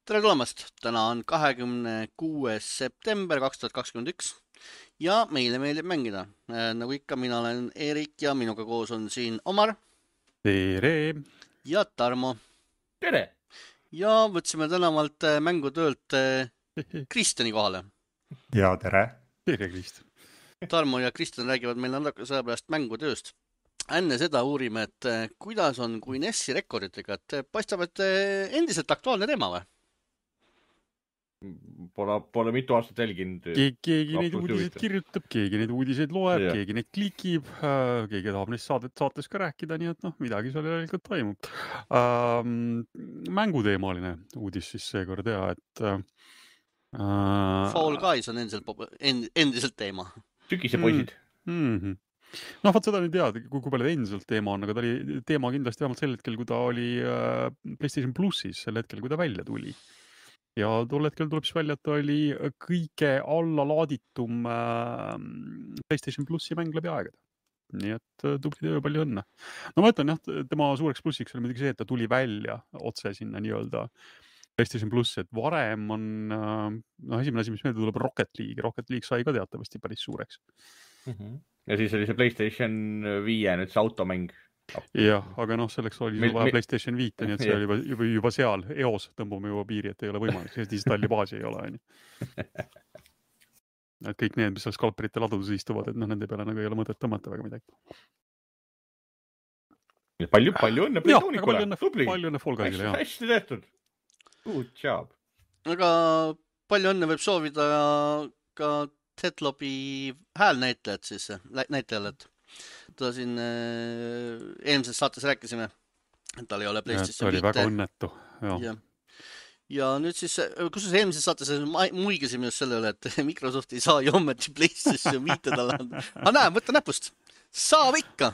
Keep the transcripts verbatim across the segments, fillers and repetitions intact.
Tere tulemast! Täna on kahekümne kuues september kaks tuhat kakskümmend üks ja meile meeldib mängida. Nagu ikka, mina olen Erik ja minuga koos on siin Omar Tere! ja Tarmo. Tere! Ja võtsime tänavalt mängutöölt Kristjani kohale. Ja tere! Tere, Kristjan! Tarmo ja Kristjan räägivad meil natuke selle pärast mängutööst. Enne seda uurime, et kuidas on kui Nessi rekorditega, et paistab, et endiselt aktuaalne teema või? Pole, pole mitu aastat jälginud. Keegi, keegi neid uudiseid kirjutab, keegi neid uudiseid loeb, Ja. keegi neid klikib, keegi tahab neist saadet, saates ka rääkida, nii et noh, midagi seal järelikult toimub. Ähm, mänguteemaline uudis siis seekord ja, et äh, Fall Guys on endiselt, endiselt teema. Tükise poisid. Mm -hmm. No vaat seda nüüd tead, kui, kui palju endiselt teema on, aga ta oli teema kindlasti vähemalt sel hetkel, kui ta oli äh, PlayStation Plussis, sel hetkel, kui ta välja tuli. Ja tol hetkel tuleb siis välja, et ta oli kõige allalaaditum äh, PlayStation Plussi mäng läbi aegade. Nii et tubli töö, palju õnne. No ma ütlen jah, tema suureks plussiks oli muidugi see, et ta tuli välja otse sinna nii-öelda PlayStation Plus, et varem on, noh esimene asi, mis meelde tuleb, Rocket League. Rocket League sai ka teatavasti päris suureks. Mm -hmm. Ja siis oli see PlayStation viie, nüüd see automäng. Jah, aga noh, selleks oli meil, vaja meil... PlayStation viite, nii et see oli juba, juba, juba seal eos tõmbame juba piiri, et ei ole võimalik, sest installi baasi ei ole. Aini. Et kõik need, mis seal skalperite ladudes istuvad, et noh, nende peale nagu ei ole mõtet tõmmata väga midagi. Palju, palju õnne Playtonicule. Palju, palju õnne Fall Guysile, jah. Hästi tehtud. Good job. Aga palju õnne võib soovida ka Tetlopi häälnäitlejad siis, näitlejale, et ta siin äh, eelmises saates rääkisime, et tal ei ole PlayStation viite. Ta oli väga õnnetu. Ja. ja nüüd siis, kus eelmises saates muigasime just selle üle, et Microsoft ei saa ju ometi PlayStation viite talle anda. Aga näe, võtta näpust. Saab ikka.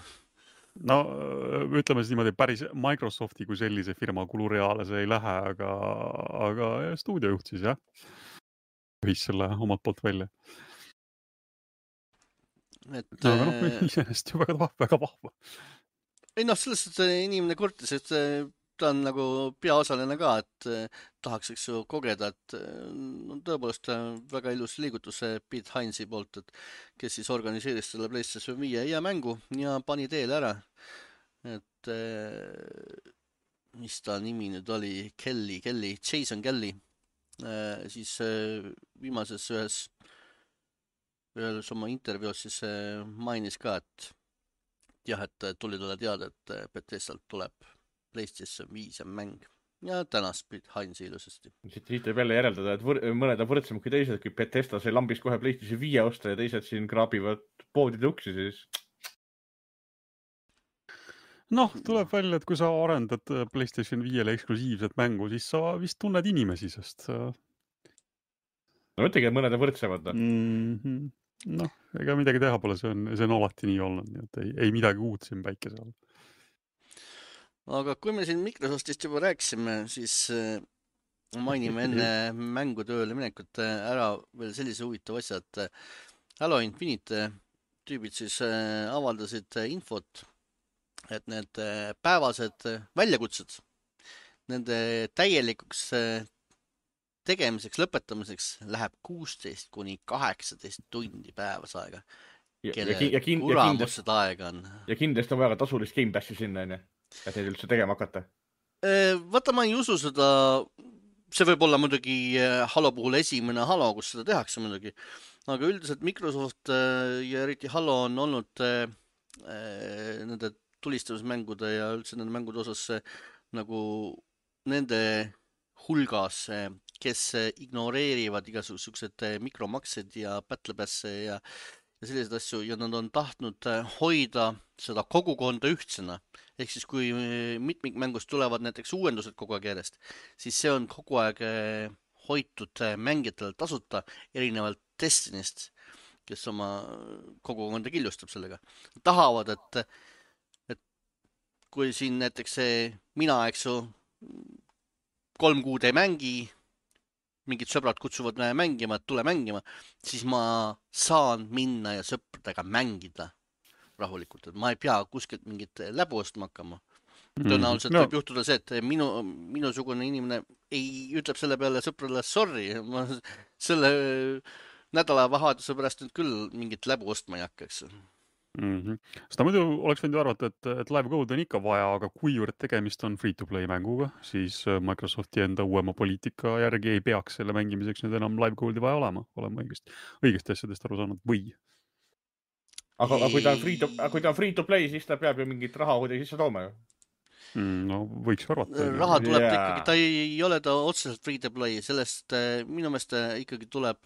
No ütleme siis niimoodi, päris Microsofti kui sellise firma kulureale see ei lähe, aga, aga stuudiojuht siis jah. Võis selle omalt poolt välja. Et, no, aga noh, iseenesest ju väga vahva, väga vahva. Ei noh, sellest, et inimene kurtis, et ta on nagu peaosaline ka, et tahaks eks ju kogeda, et no, tõepoolest väga ilus liigutus Pete Heinzi poolt, et kes siis organiseeris selle PlayStation viie ja mängu ja pani teele ära. Et mis ta nimi nüüd oli? Kelly, Kelly, Jason Kelly. Siis viimases ühes ühes oma intervjuus siis mainis ka, et jah, et tuli talle teada, et Bethesdalt tuleb PlayStation viis mäng ja tänas Pete Heinzi ilusasti. Siit võib jälle järeldada, et võr mõned on võrdsem kui teised, kui Bethesda sai lambis kohe PlayStation viie osta ja teised siin kraabivad poodide uksi siis. Noh, tuleb välja, et kui sa arendad PlayStation viiele eksklusiivset mängu, siis sa vist tunned inimesi, sest... No mõtlegi, et mõned on võrdsemad. No, mm -hmm. no ega midagi teha pole, see on, see on alati nii olnud, nii et ei, ei midagi uut siin päikese all. Aga kui me siin Microsoftist juba rääkisime, siis mainime enne mängutööle minekut ära veel sellise huvitav asja, et Halo Infinite tüübid siis avaldasid infot, et need päevased väljakutsed, nende täielikuks tegemiseks, lõpetamiseks läheb kuusteist kuni kaheksateist tundi päevas aega. Kelle ja, ja, ja kuramus seda aega on. Ja kindlasti on vaja tasulist Game Passi sinna, enne, et neid üldse tegema hakata. Vaata, ma ei usu seda, see võib olla muidugi Halo puhul esimene Halo, kus seda tehakse muidugi, aga üldiselt Microsoft ja eriti Halo on olnud nende tulistamismängude ja üldse nende mängude osas nagu nende hulgas, kes ignoreerivad igasugused mikromaksed ja battlepasse ja, ja sellised asju ja nad on tahtnud hoida seda kogukonda ühtsena. Ehk siis kui mitmikmängust tulevad näiteks uuendused kogu aeg järjest, siis see on kogu aeg hoitud mängijatele tasuta erinevalt Destinist, kes oma kogukonda killustab sellega. Tahavad, et, et kui siin näiteks see mina, eks ju, kolm kuud ei mängi, mingid sõbrad kutsuvad mängima, et tule mängima, siis ma saan minna ja sõpradega mängida rahulikult, et ma ei pea kuskilt mingit läbu ostma hakkama. Tõenäoliselt no, võib juhtuda see, et minu, minusugune inimene ei ütleb selle peale sõprale sorry. Ma selle nädala vaheaduse pärast nüüd küll mingit läbu ostma ei hakka, eks. Mm-hmm. Seda muidu oleks võinud ju arvata, et, et live code on ikka vaja, aga kuivõrd tegemist on free-to-play mänguga, siis Microsofti enda uuema poliitika järgi ei peaks selle mängimiseks nüüd enam live code'i vaja olema, olema õigest, õigest asjadest aru saanud või. Aga, aga kui ta on free-to, kui ta on free-to-play, siis ta peab ju mingit raha kuidagi sisse tooma ju. Mm, no võiks arvata. Raha tuleb yeah. ta ikkagi, ta ei ole ta otseselt free-to-play, sellest minu meelest ikkagi tuleb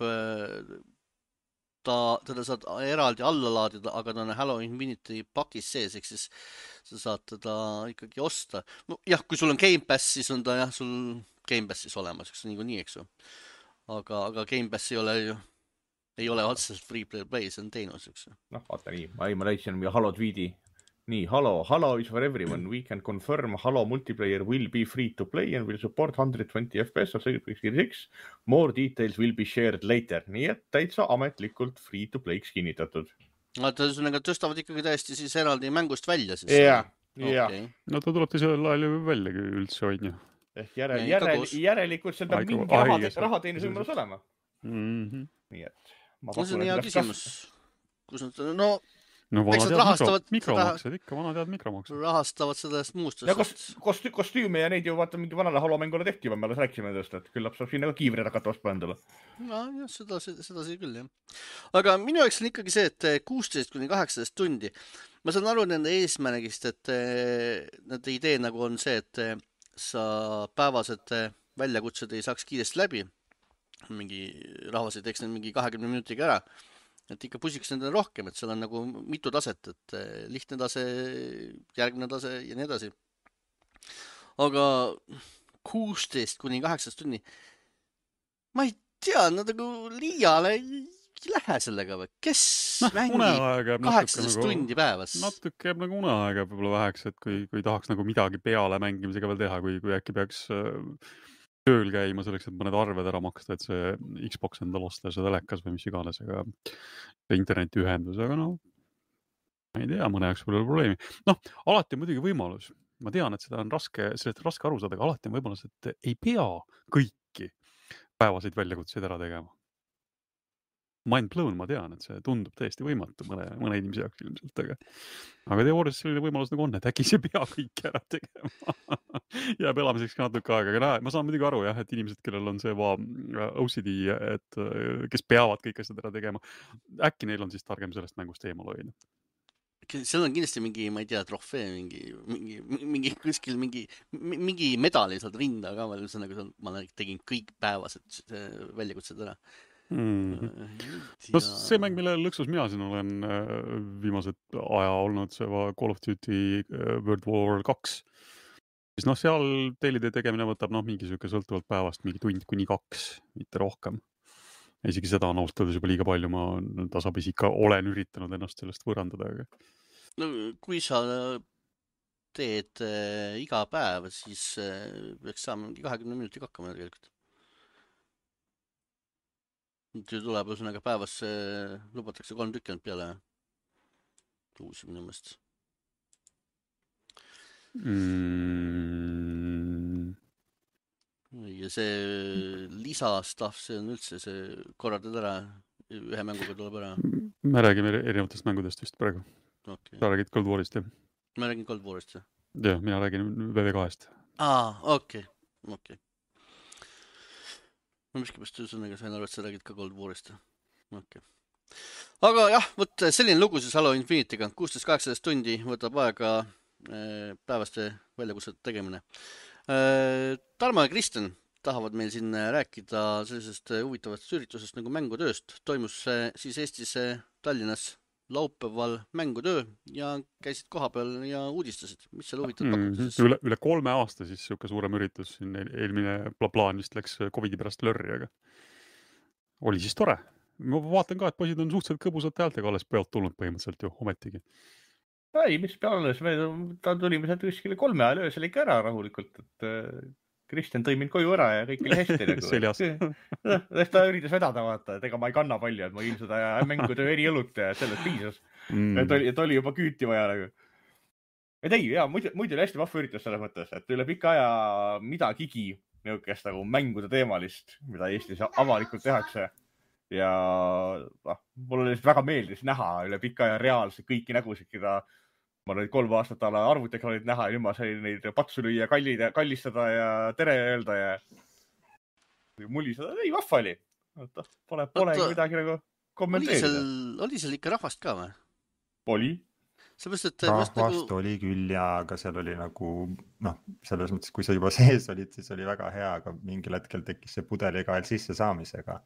ta, teda saad eraldi alla laadida, aga ta on Halo Infinity pakis sees, ehk siis sa saad teda ikkagi osta. No, jah, kui sul on Game Pass, siis on ta jah, sul Game Passis olemas, eks nii kui nii, eks ju. Aga, aga Game Pass ei ole ju, ei ole otseselt free-to-play, see on teenus, eks ju. Noh, vaata nii, ma, ma leidsin Halo tweedi. Nii, Halo, Halo is for everyone. We can confirm Halo multiplayer will be free to play and will support one twenty F P S of Series X. More details will be shared later. Nii et täitsa ametlikult free to play'ks kinnitatud. Nad tõstavad ikkagi täiesti siis eraldi mängust välja siis. Jah, jah. Okay. No ta tuleb teisel ajal ju välja üldse on ju. Ehk järel, järel, järelikult seda Aigu, mingi raha, rahateenuse võimalus olema. Mm-hmm. Nii et. Ma no see on hea küsimus. Kus nad, no... No vana tead rahastavad, mikromaksed, ikka vana tead mikromaksed. Rahastavad sellest muust. Ja kost, kost, kostüüme ja neid ju vaata mingi vanale halomängule tehti, me alles rääkisime tõest, et küllap saab siin nagu kiivri hakata ostma endale. No jah, seda, seda see küll, jah. Aga minu jaoks on ikkagi see, et kuusteist kuni kaheksateist tundi. Ma saan aru nende eesmärgist, et nende idee nagu on see, et sa päevased väljakutsed ei saaks kiiresti läbi. Mingi rahvas ei teeks need mingi kahekümne minutiga ära. Et ikka pusiks nendele rohkem, et seal on nagu mitu taset, et lihtne tase, järgmine tase ja nii edasi. Aga kuusteist kuni kaheksateist tunni, ma ei tea, nad nagu liiale ei lähe sellega või? Kes no, mängib kaheksateist tundi päevas? Natuke jääb nagu uneaega võib-olla väheks, et kui, kui tahaks nagu midagi peale mängimisega veel teha, kui, kui äkki peaks tööl käima selleks, et mõned arved ära maksta, et see Xbox endal osta ja seda telekas või mis iganes, aga internetiühendus, aga no, ma ei tea, mõne jaoks pole probleemi. Noh, alati on muidugi võimalus. Ma tean, et seda on raske, sellest on raske aru saada, aga alati on võimalus, et ei pea kõiki päevaseid väljakutseid ära tegema. Mind blown, ma tean, et see tundub täiesti võimatu mõne, mõne inimese jaoks ilmselt, aga, aga teoorias selline võimalus nagu on, et äkki see pea kõik ära tegema. Jääb elamiseks ka natuke aega, aga näe, ma saan muidugi aru, jah, et inimesed, kellel on see va, O C D, et kes peavad kõik asjad ära tegema, äkki neil on siis targem sellest mängust eemal hoida. Seal on kindlasti mingi, ma ei tea, trofee, mingi, mingi, mingi kuskil mingi, mingi medali saad rinda ka, ma tegin kõik päevased väljakutsed ära. Mm-hmm. No see mäng, mille lõksus mina siin olen viimased aja olnud, see va Call of Duty World War kaks. Siis noh, seal teelide tegemine võtab noh, mingi süke sõltuvalt päevast, mingi tund kuni kaks, mitte rohkem. Isegi seda on austada juba liiga palju, ma tasapisi ikka olen üritanud ennast sellest võõrandada. Aga... No kui sa teed äh, iga päev, siis äh, peaks saama mingi kahekümne minuti hakkama tegelikult. Nüüd tuleb ühesõnaga päevas äh, lubatakse kolm tükkinud peale uusi minu mõist. Mm. Ja see lisastaff, see on üldse, see korraldad ära, ühe mänguga tuleb ära. Me räägime erinevatest mängudest vist praegu. Okay. Sa räägid Cold Warist, jah? Ma räägin Cold Warist, jah. Jah, mina räägin V V kahest. Aa, okei, okay. okei. Okay. Ma miskipärast ühesõnaga sain aru, et sa räägid ka Cold Warist. Okay. Aga jah, võt selline lugu siis Halo Infinity'ga. kuusteist kaheksateist tundi võtab aega äh, päevaste väljakutsete tegemine. Äh, Tarmo ja Kristen tahavad meil siin rääkida sellisest huvitavast üritusest nagu mängutööst. Toimus äh, siis Eestis äh, Tallinnas laupäeval mängutöö ja käisid koha peal ja uudistasid. Mis seal huvitav pakub siis? Üle, üle kolme aasta siis siuke suurem üritus. Siin eelmine plaan vist läks Covidi pärast lörri, aga oli siis tore. Ma vaatan ka, et poisid on suhteliselt kõbusate häältega alles pealt tulnud põhimõtteliselt ju ometigi. Ei, mis peales, me ta tulime sealt kuskile kolme ajal öösel ikka ära rahulikult, et Kristjan tõi mind koju ära ja kõik oli hästi. Nagu. Seljas. Ta üritas vedada, vaata, et ega ma ei kanna palju, et ma ilm seda mängutöö eri õlut ja sellest piisas. Mm. Et, oli, et oli juba küüti vaja. Nagu. et ei, jaa, muidu, muidu oli hästi vahva üritus selles mõttes, et üle pika aja midagigi niisugust nagu mängude teemalist, mida Eestis avalikult tehakse. Ja noh, mul oli väga meeldis näha üle pika aja reaalselt kõiki nägusid, keda ma olin kolm aastat ala arvutiekraanid näha ja nüüd ma sain neid patsu lüüa, kallida, kallistada ja tere öelda ja muliseda. Ei, vahva oli. Pole, polegi midagi nagu kommenteerida. Oli seal, oli seal ikka rahvast ka või? Oli. Seepärast, et rahvast nagu... oli küll ja aga seal oli nagu, noh, selles mõttes, kui sa juba sees olid, siis oli väga hea, aga mingil hetkel tekkis see pudelikael sisse saamisega.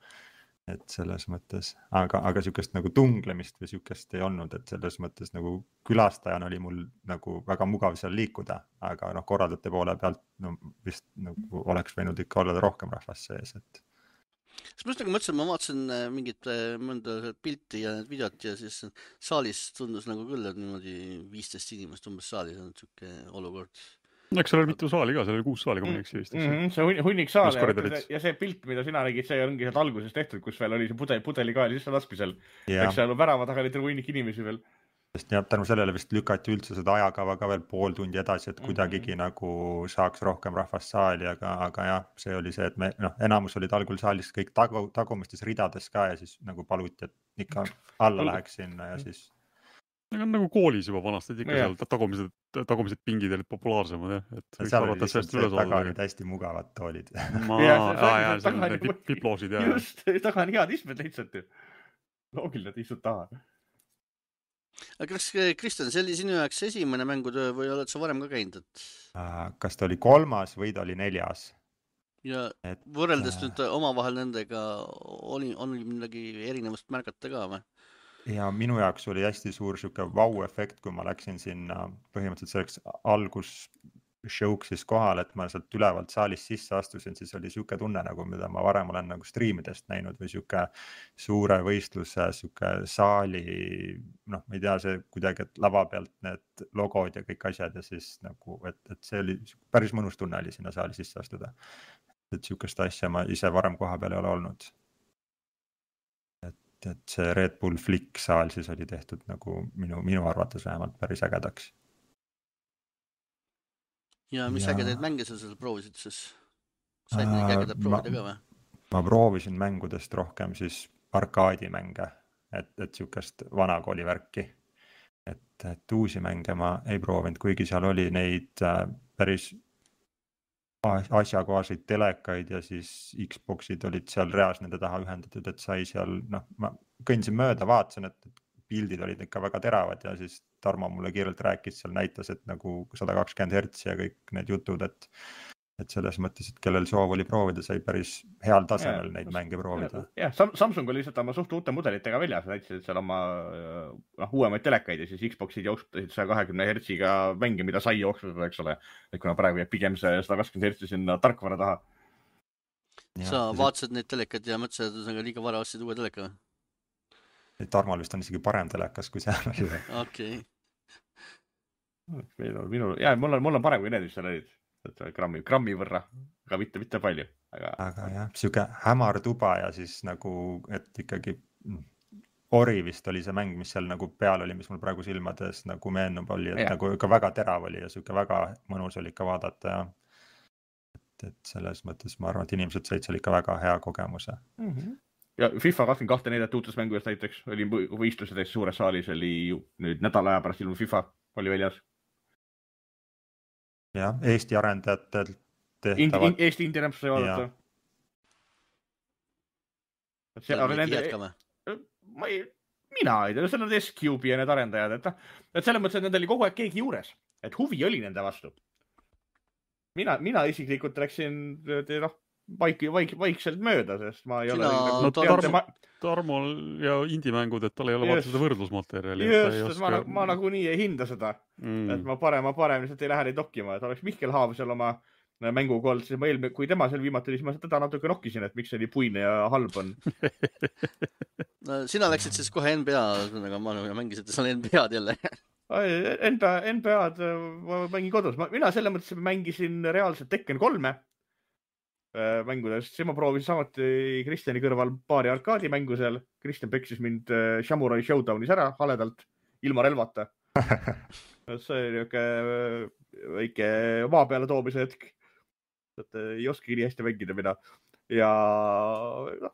Et selles mõttes, aga, aga sükest nagu tunglemist või sükest ei olnud, et selles mõttes nagu külastajana oli mul nagu väga mugav seal liikuda, aga noh, korraldajate poole pealt no, vist nagu oleks võinud ikka olla rohkem rahvast sees, et Siis ma just nagu mõtlesin, ma vaatasin mingit mõnda pilti ja videot ja siis saalis tundus nagu küll, et niimoodi viisteist inimest umbes saalis on siuke olukord. Eks seal oli mitu saali ka, seal oli kuus saali, kui ma ei eksi vist. Mm -hmm, see hunnik saal ja, ja see pilt, mida sina nägid, see ongi sealt alguses tehtud, kus veel oli see pudel, pudelikael sisse laskmisel. Eks seal värava taga oli terve hunnik inimesi veel. Sest jah, tänu sellele vist lükati üldse seda ajakava ka veel pool tundi edasi, et kuidagigi mm -hmm. nagu saaks rohkem rahvast saali, aga, aga jah, see oli see, et me, noh, enamus olid algul saalis kõik tagu, tagumistes ridades ka ja siis nagu paluti, et ikka alla läheks sinna ja siis Aga nagu koolis juba vanasti, et ikka seal tagumised, tagumised pingid olid populaarsemad, jah. Et seal oli lihtsalt see taga olid hästi mugavad toolid. Ma, aa, jah, seal olid need piploosid, jah. Just, taga on head istmed lihtsalt. Loogiline, et istud taha. Aga kas, Kristjan, see oli sinu jaoks esimene mängutöö või oled sa varem ka käinud? Et... Kas ta oli kolmas või ta oli neljas? Ja et, võrreldes äh... nüüd omavahel nendega oli, on midagi erinevust märgata ka või? Ja minu jaoks oli hästi suur siuke vau-efekt, kui ma läksin sinna põhimõtteliselt selleks algus show'ks siis kohal, et ma sealt ülevalt saalist sisse astusin, siis oli siuke tunne, nagu mida ma varem olen nagu striimidest näinud või siuke suure võistluse, siuke saali, noh, ma ei tea, see kuidagi, et lava pealt need logod ja kõik asjad ja siis nagu, et, et see oli päris mõnus tunne oli sinna saali sisse astuda. Et siukest asja ma ise varem koha peal ei ole olnud. Et see Red Bull Flick saal siis oli tehtud nagu minu, minu arvates vähemalt päris ägedaks. Ja mis ja... ägedaid mänge sa seal proovisid siis? Said äh, neid ägedad proovida ka või? Ma proovisin mängudest rohkem siis arkaadimänge, et, et siukest vanakooli värki. Et, et uusi mänge ma ei proovinud, kuigi seal oli neid äh, päris asjakohaseid telekaid ja siis Xboxid olid seal reas nende taha ühendatud, et sai seal, noh, ma kõndisin mööda, vaatasin, et pildid olid ikka väga teravad ja siis Tarmo mulle kiirelt rääkis, seal näitas, et nagu sada kakskümmend hertsi ja kõik need jutud, et, et selles mõttes, et kellel soov oli proovida, sai päris heal tasemel ja, neid mänge proovida. Jah, Samsung oli lihtsalt oma suht uute mudelitega väljas, näitasid seal oma no, uuemaid telekaid ja siis Xboxid jooksutasid saja kahekümne hertsiga mänge, mida sai jooksutada, eks ole. Et kuna praegu jääb pigem see sada kakskümmend hertsi sinna tarkvara taha. Ja, sa vaatasid neid telekad ja mõtlesid, et on liiga vara ostsid uue teleka? Tarmal vist on isegi parem telekas, kui seal oli. Okei. Minul, minul, jah, mul on, mul on parem kui need, mis seal olid. Grammi, grammi võrra, aga mitte, mitte palju. Aga, aga jah, siuke hämar tuba ja siis nagu, et ikkagi Ori vist oli see mäng, mis seal nagu peal oli, mis mul praegu silmades nagu meenub oli, et ja. Nagu ikka väga terav oli ja siuke väga mõnus oli ikka vaadata ja et, et selles mõttes ma arvan, et inimesed said seal ikka väga hea kogemuse. Mm-hmm. Ja FIFA kakskümmend kaks näidat uutes mängudes näiteks oli võistlused täis suures saalis, oli nüüd nädala aja pärast ilmu FIFA oli väljas. Jah, Eesti arendajatel tehtavad. Eesti indie rämps sai vaadata. See arendajad... ma ei, mina ei tea, seal on S-Cube ja need arendajad, et, et selles mõttes, et nendel oli kogu aeg keegi juures, et huvi oli nende vastu. Mina, mina isiklikult läksin noh, vaik, vaik, vaikselt mööda, sest ma ei Sina, ole... No, Tarmo, ma... Tarmol ja indie-mängud, et tal ei ole vaata seda võrdlusmateriali. Just, oska... ma, ma nagu nii ei hinda seda, mm. et ma parem, ma parem lihtsalt ei lähe neid nokkima, et oleks Mihkel Haav seal oma mänguga olnud, siis ma eelmine, kui tema seal viimati oli, siis ma teda natuke nokkisin, et miks see nii puine ja halb on. No, sina läksid siis kohe N B A, aga ma mängisid seal N B A-d jälle. N B A, N B A-d ma mängin kodus. Ma, mina selle mõttes mängisin reaalselt Tekken kolme mängudest. See ma proovisin samuti Kristjani kõrval paari arkaadi mängu seal. Kristjan peksis mind Samurai Showdownis ära haledalt, ilma relvata. see oli niuke väike maa peale toomise hetk. Et ei oska nii hästi mängida mina. Ja no,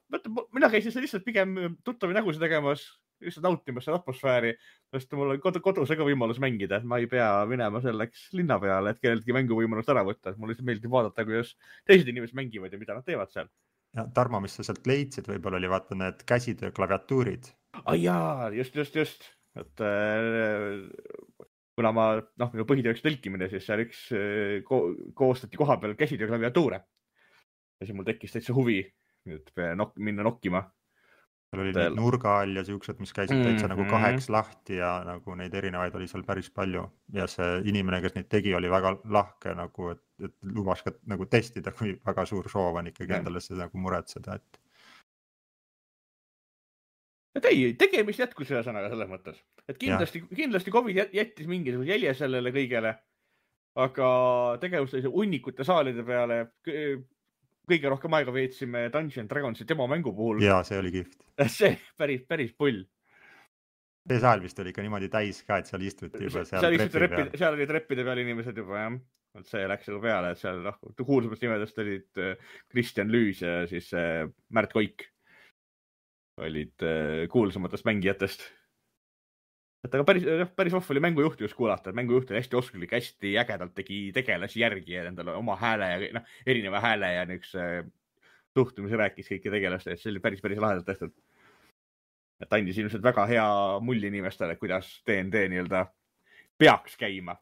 mina käisin lihtsalt pigem tuttavi nägusid tegemas, lihtsalt nautimas seda atmosfääri, sest mul on kodu, kodus ega võimalus mängida. Ma ei pea minema selleks linna peale, et kelleltki mänguvõimalust ära võtta. Mul lihtsalt meeldib vaadata, kuidas teised inimesed mängivad ja mida nad teevad seal. Ja Tarmo, mis sa sealt leidsid, võib-olla oli vaata need käsitöö klaviatuurid. Ai jaa, just, just, just. Et, kuna ma, noh, minu põhitööks tõlkimine, siis seal üks ko koostati koha peal käsitöö klaviatuure. Ja siis mul tekkis täitsa huvi nüüd nok minna nokkima. Seal oli neid nurga all ja siuksed, mis käisid täitsa mm -hmm. nagu kaheks lahti ja nagu neid erinevaid oli seal päris palju. Ja see inimene, kes neid tegi, oli väga lahke, nagu, et, et lubas ka nagu testida, kui väga suur soov on ikkagi mm. endale seda nagu muretseda. Et... Et ei, tegemist jätkus ühe sõnaga selles mõttes. Et kindlasti, kindlasti Covid jättis mingisuguse jälje sellele kõigele, aga tegevus unnikute saalide peale kõige rohkem aega veetsime Dungeons Dragonsi demo mängu puhul. Jaa, see oli kihvt. See päris, päris pull. See saal vist oli ikka niimoodi täis ka, et seal istuti juba seal, seal trepi treppi, peal. Seal oli treppide peal inimesed juba, jah. See läks juba peale, et seal noh, kuulsamast nimedest olid Kristjan Lüüs ja siis Märt Koik olid kuulsamatest mängijatest. Et aga päris, päris off oli mängujuhti just kuulata, et mängujuht oli hästi oskulik, hästi ägedalt tegi tegelasi järgi ja endale oma hääle ja noh, erineva hääle ja üks suhtumise rääkis kõiki tegelaste, et see oli päris, päris lahedalt tehtud. Et andis ilmselt väga hea mulli inimestele, kuidas D and D nii-öelda peaks käima.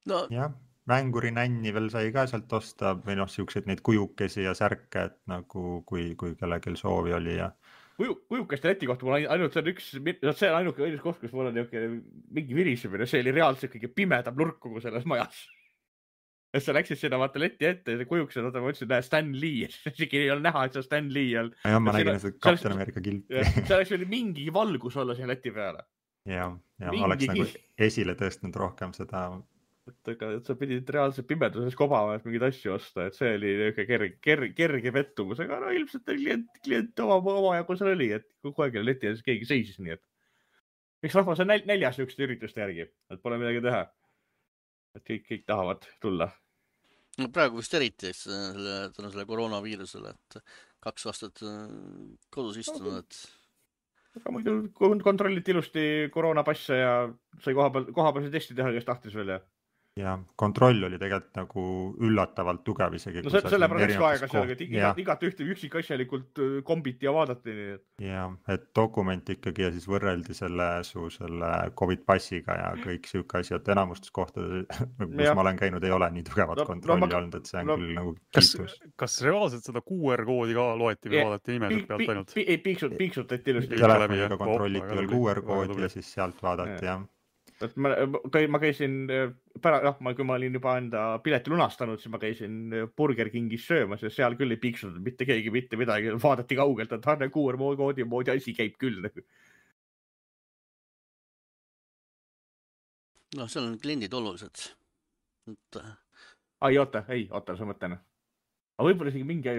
No. Jah, mänguri nänni veel sai ka sealt osta või noh, siukseid neid kujukesi ja särke, et nagu kui, kui kellegil soovi oli ja Kuju, kujukeste leti kohta mul ainult see on üks, see on ainuke õigus koht, kus mul on mingi virisemine, see oli reaalselt kõige pimedam nurk kogu selles majas. Et sa läksid sinna vaata leti ette ja kujuksed, oota ma ütlesin, näe Stan Lee, isegi ei ole näha, et see on Stan Lee all. Ja ma nägin seda Captain America kilpi. See oleks veel mingi valgus olla siin leti peale. Ja, ja mingi oleks nagu esile tõstnud rohkem seda. Et, aga, et sa pidid reaalselt pimeduses kobama, et mingid asju osta, et see oli kerge, kerge, kerge pettumus, aga no ilmselt klient, klient oma, oma jagu seal oli, et kogu aeg leti ja siis keegi seisis nii, et eks rahvas on näljas niisuguste ürituste järgi, et pole midagi teha. Et kõik, kõik tahavad tulla. No praegu vist eriti selle, tänu selle koroonaviirusele, et kaks aastat kodus istunud, et aga muidu kontrolliti ilusti koroonapasse ja sai koha peal, koha peal see testi teha, kes tahtis veel ja ja kontroll oli tegelikult nagu üllatavalt tugev isegi. No selle pärast üks aega seal, et igat, igat ühte üksik asjalikult kombiti ja vaadati. Nii. Ja, et dokument ikkagi ja siis võrreldi selle su selle Covid passiga ja kõik siuke asi, et enamustes kohtades, kus ja. ma olen käinud, ei ole nii tugevat no, kontrolli no, ma, olnud, et see on no, küll nagu kiitus. Kas, kas reaalselt seda Q R koodi ka loeti või vaadati nimesid pealt ainult? Ei, piiksut, piiksutati ilusti. Telefoniga kontrolliti veel Q R koodi ja siis sealt vaadati, jah. Et ma, ma käisin pära, noh, ma, kui ma olin juba enda pileti lunastanud, siis ma käisin Burger Kingis söömas ja seal küll ei piiksunud mitte keegi mitte midagi, vaadati kaugelt, et Harne Q R koodi moodi asi käib küll. No, seal on kliendid olulised. Et... Ai, oota, ei, oota, sa mõtlen. Aga võib-olla isegi mingi...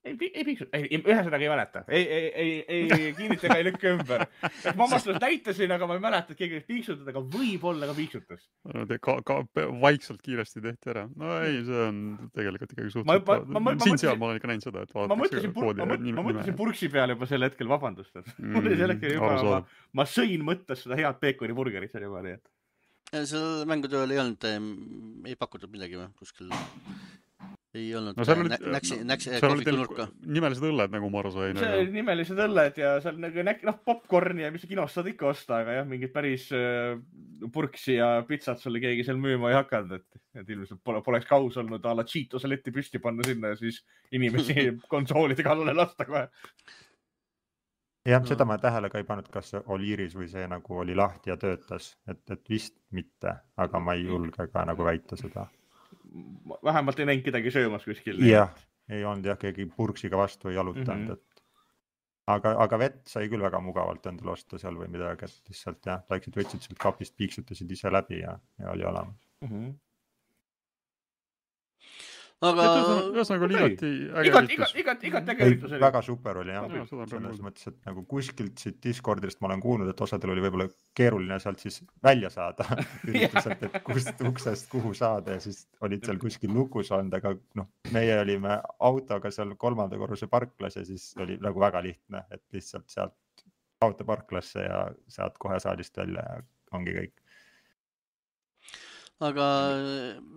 Ei, ei piiksud, ei, ühesõnaga ei mäleta. Ei, ei, ei, ei kinnitega ei lükka ümber. Et ma vastus näitasin, aga ma ei mäleta, et keegi piiksutada, aga võib-olla ka piiksutas. Ka, ka vaikselt kiiresti tehti ära. No ei, see on tegelikult ikkagi suhteliselt. Siin seal ma olen ikka näinud seda, et vaadatakse ma mõtlesin, koodi ma, ma, ma mõtlesin purksi peale juba sel hetkel, vabandust. Mm, mul oli sel hetkel juba, ma, ma sõin mõttes seda head peekoni burgerit seal juba. Nii, et... Seal mängutööl ei olnud, ei pakutud midagi või kuskil... Ei olnud, no, oli, näksi, näksi, seal olid nimelised õlled, nagu ma aru sain. See oli nimelised õlled ja seal nagu noh, popcorni ja mis kinost saad ikka osta, aga jah, mingid päris äh, purksi ja pitsat sulle keegi seal müüma ei hakanud, et, et ilmselt pole, poleks kaus olnud a la Cheetose letti püsti panna sinna ja siis inimesi konsoolide kallale lasta kohe. Jah, no. Seda ma tähele ka ei pannud, kas Oliiris või see nagu oli lahti ja töötas, et, et vist mitte, aga ma ei julge ka nagu väita seda. Vähemalt ei näinud kedagi söömas kuskil. Jah, ei olnud jah, keegi purksiga vastu ei jalutanud. Mm -hmm. et... aga, aga vett sai küll väga mugavalt endale osta seal või midagi, et lihtsalt jah, läksid, võtsid sealt kapist, piiksutasid ise läbi ja, ja oli olemas. Mm -hmm. aga ühesõnaga oli igati äge igat, üritus. igat, igat, igat äge Ei, üritus oli. väga super oli jah. Jaa, seda on Selles praegu. mõttes, et nagu kuskilt siit Discordist ma olen kuulnud, et osadel oli võib-olla keeruline sealt siis välja saada ürituselt, et kust uksest kuhu saada ja siis olid seal kuskil lukus olnud, aga noh, meie olime autoga seal kolmanda korruse parklas ja siis oli nagu väga lihtne, et lihtsalt sealt autoparklasse ja sealt kohe saalist välja ja ongi kõik. aga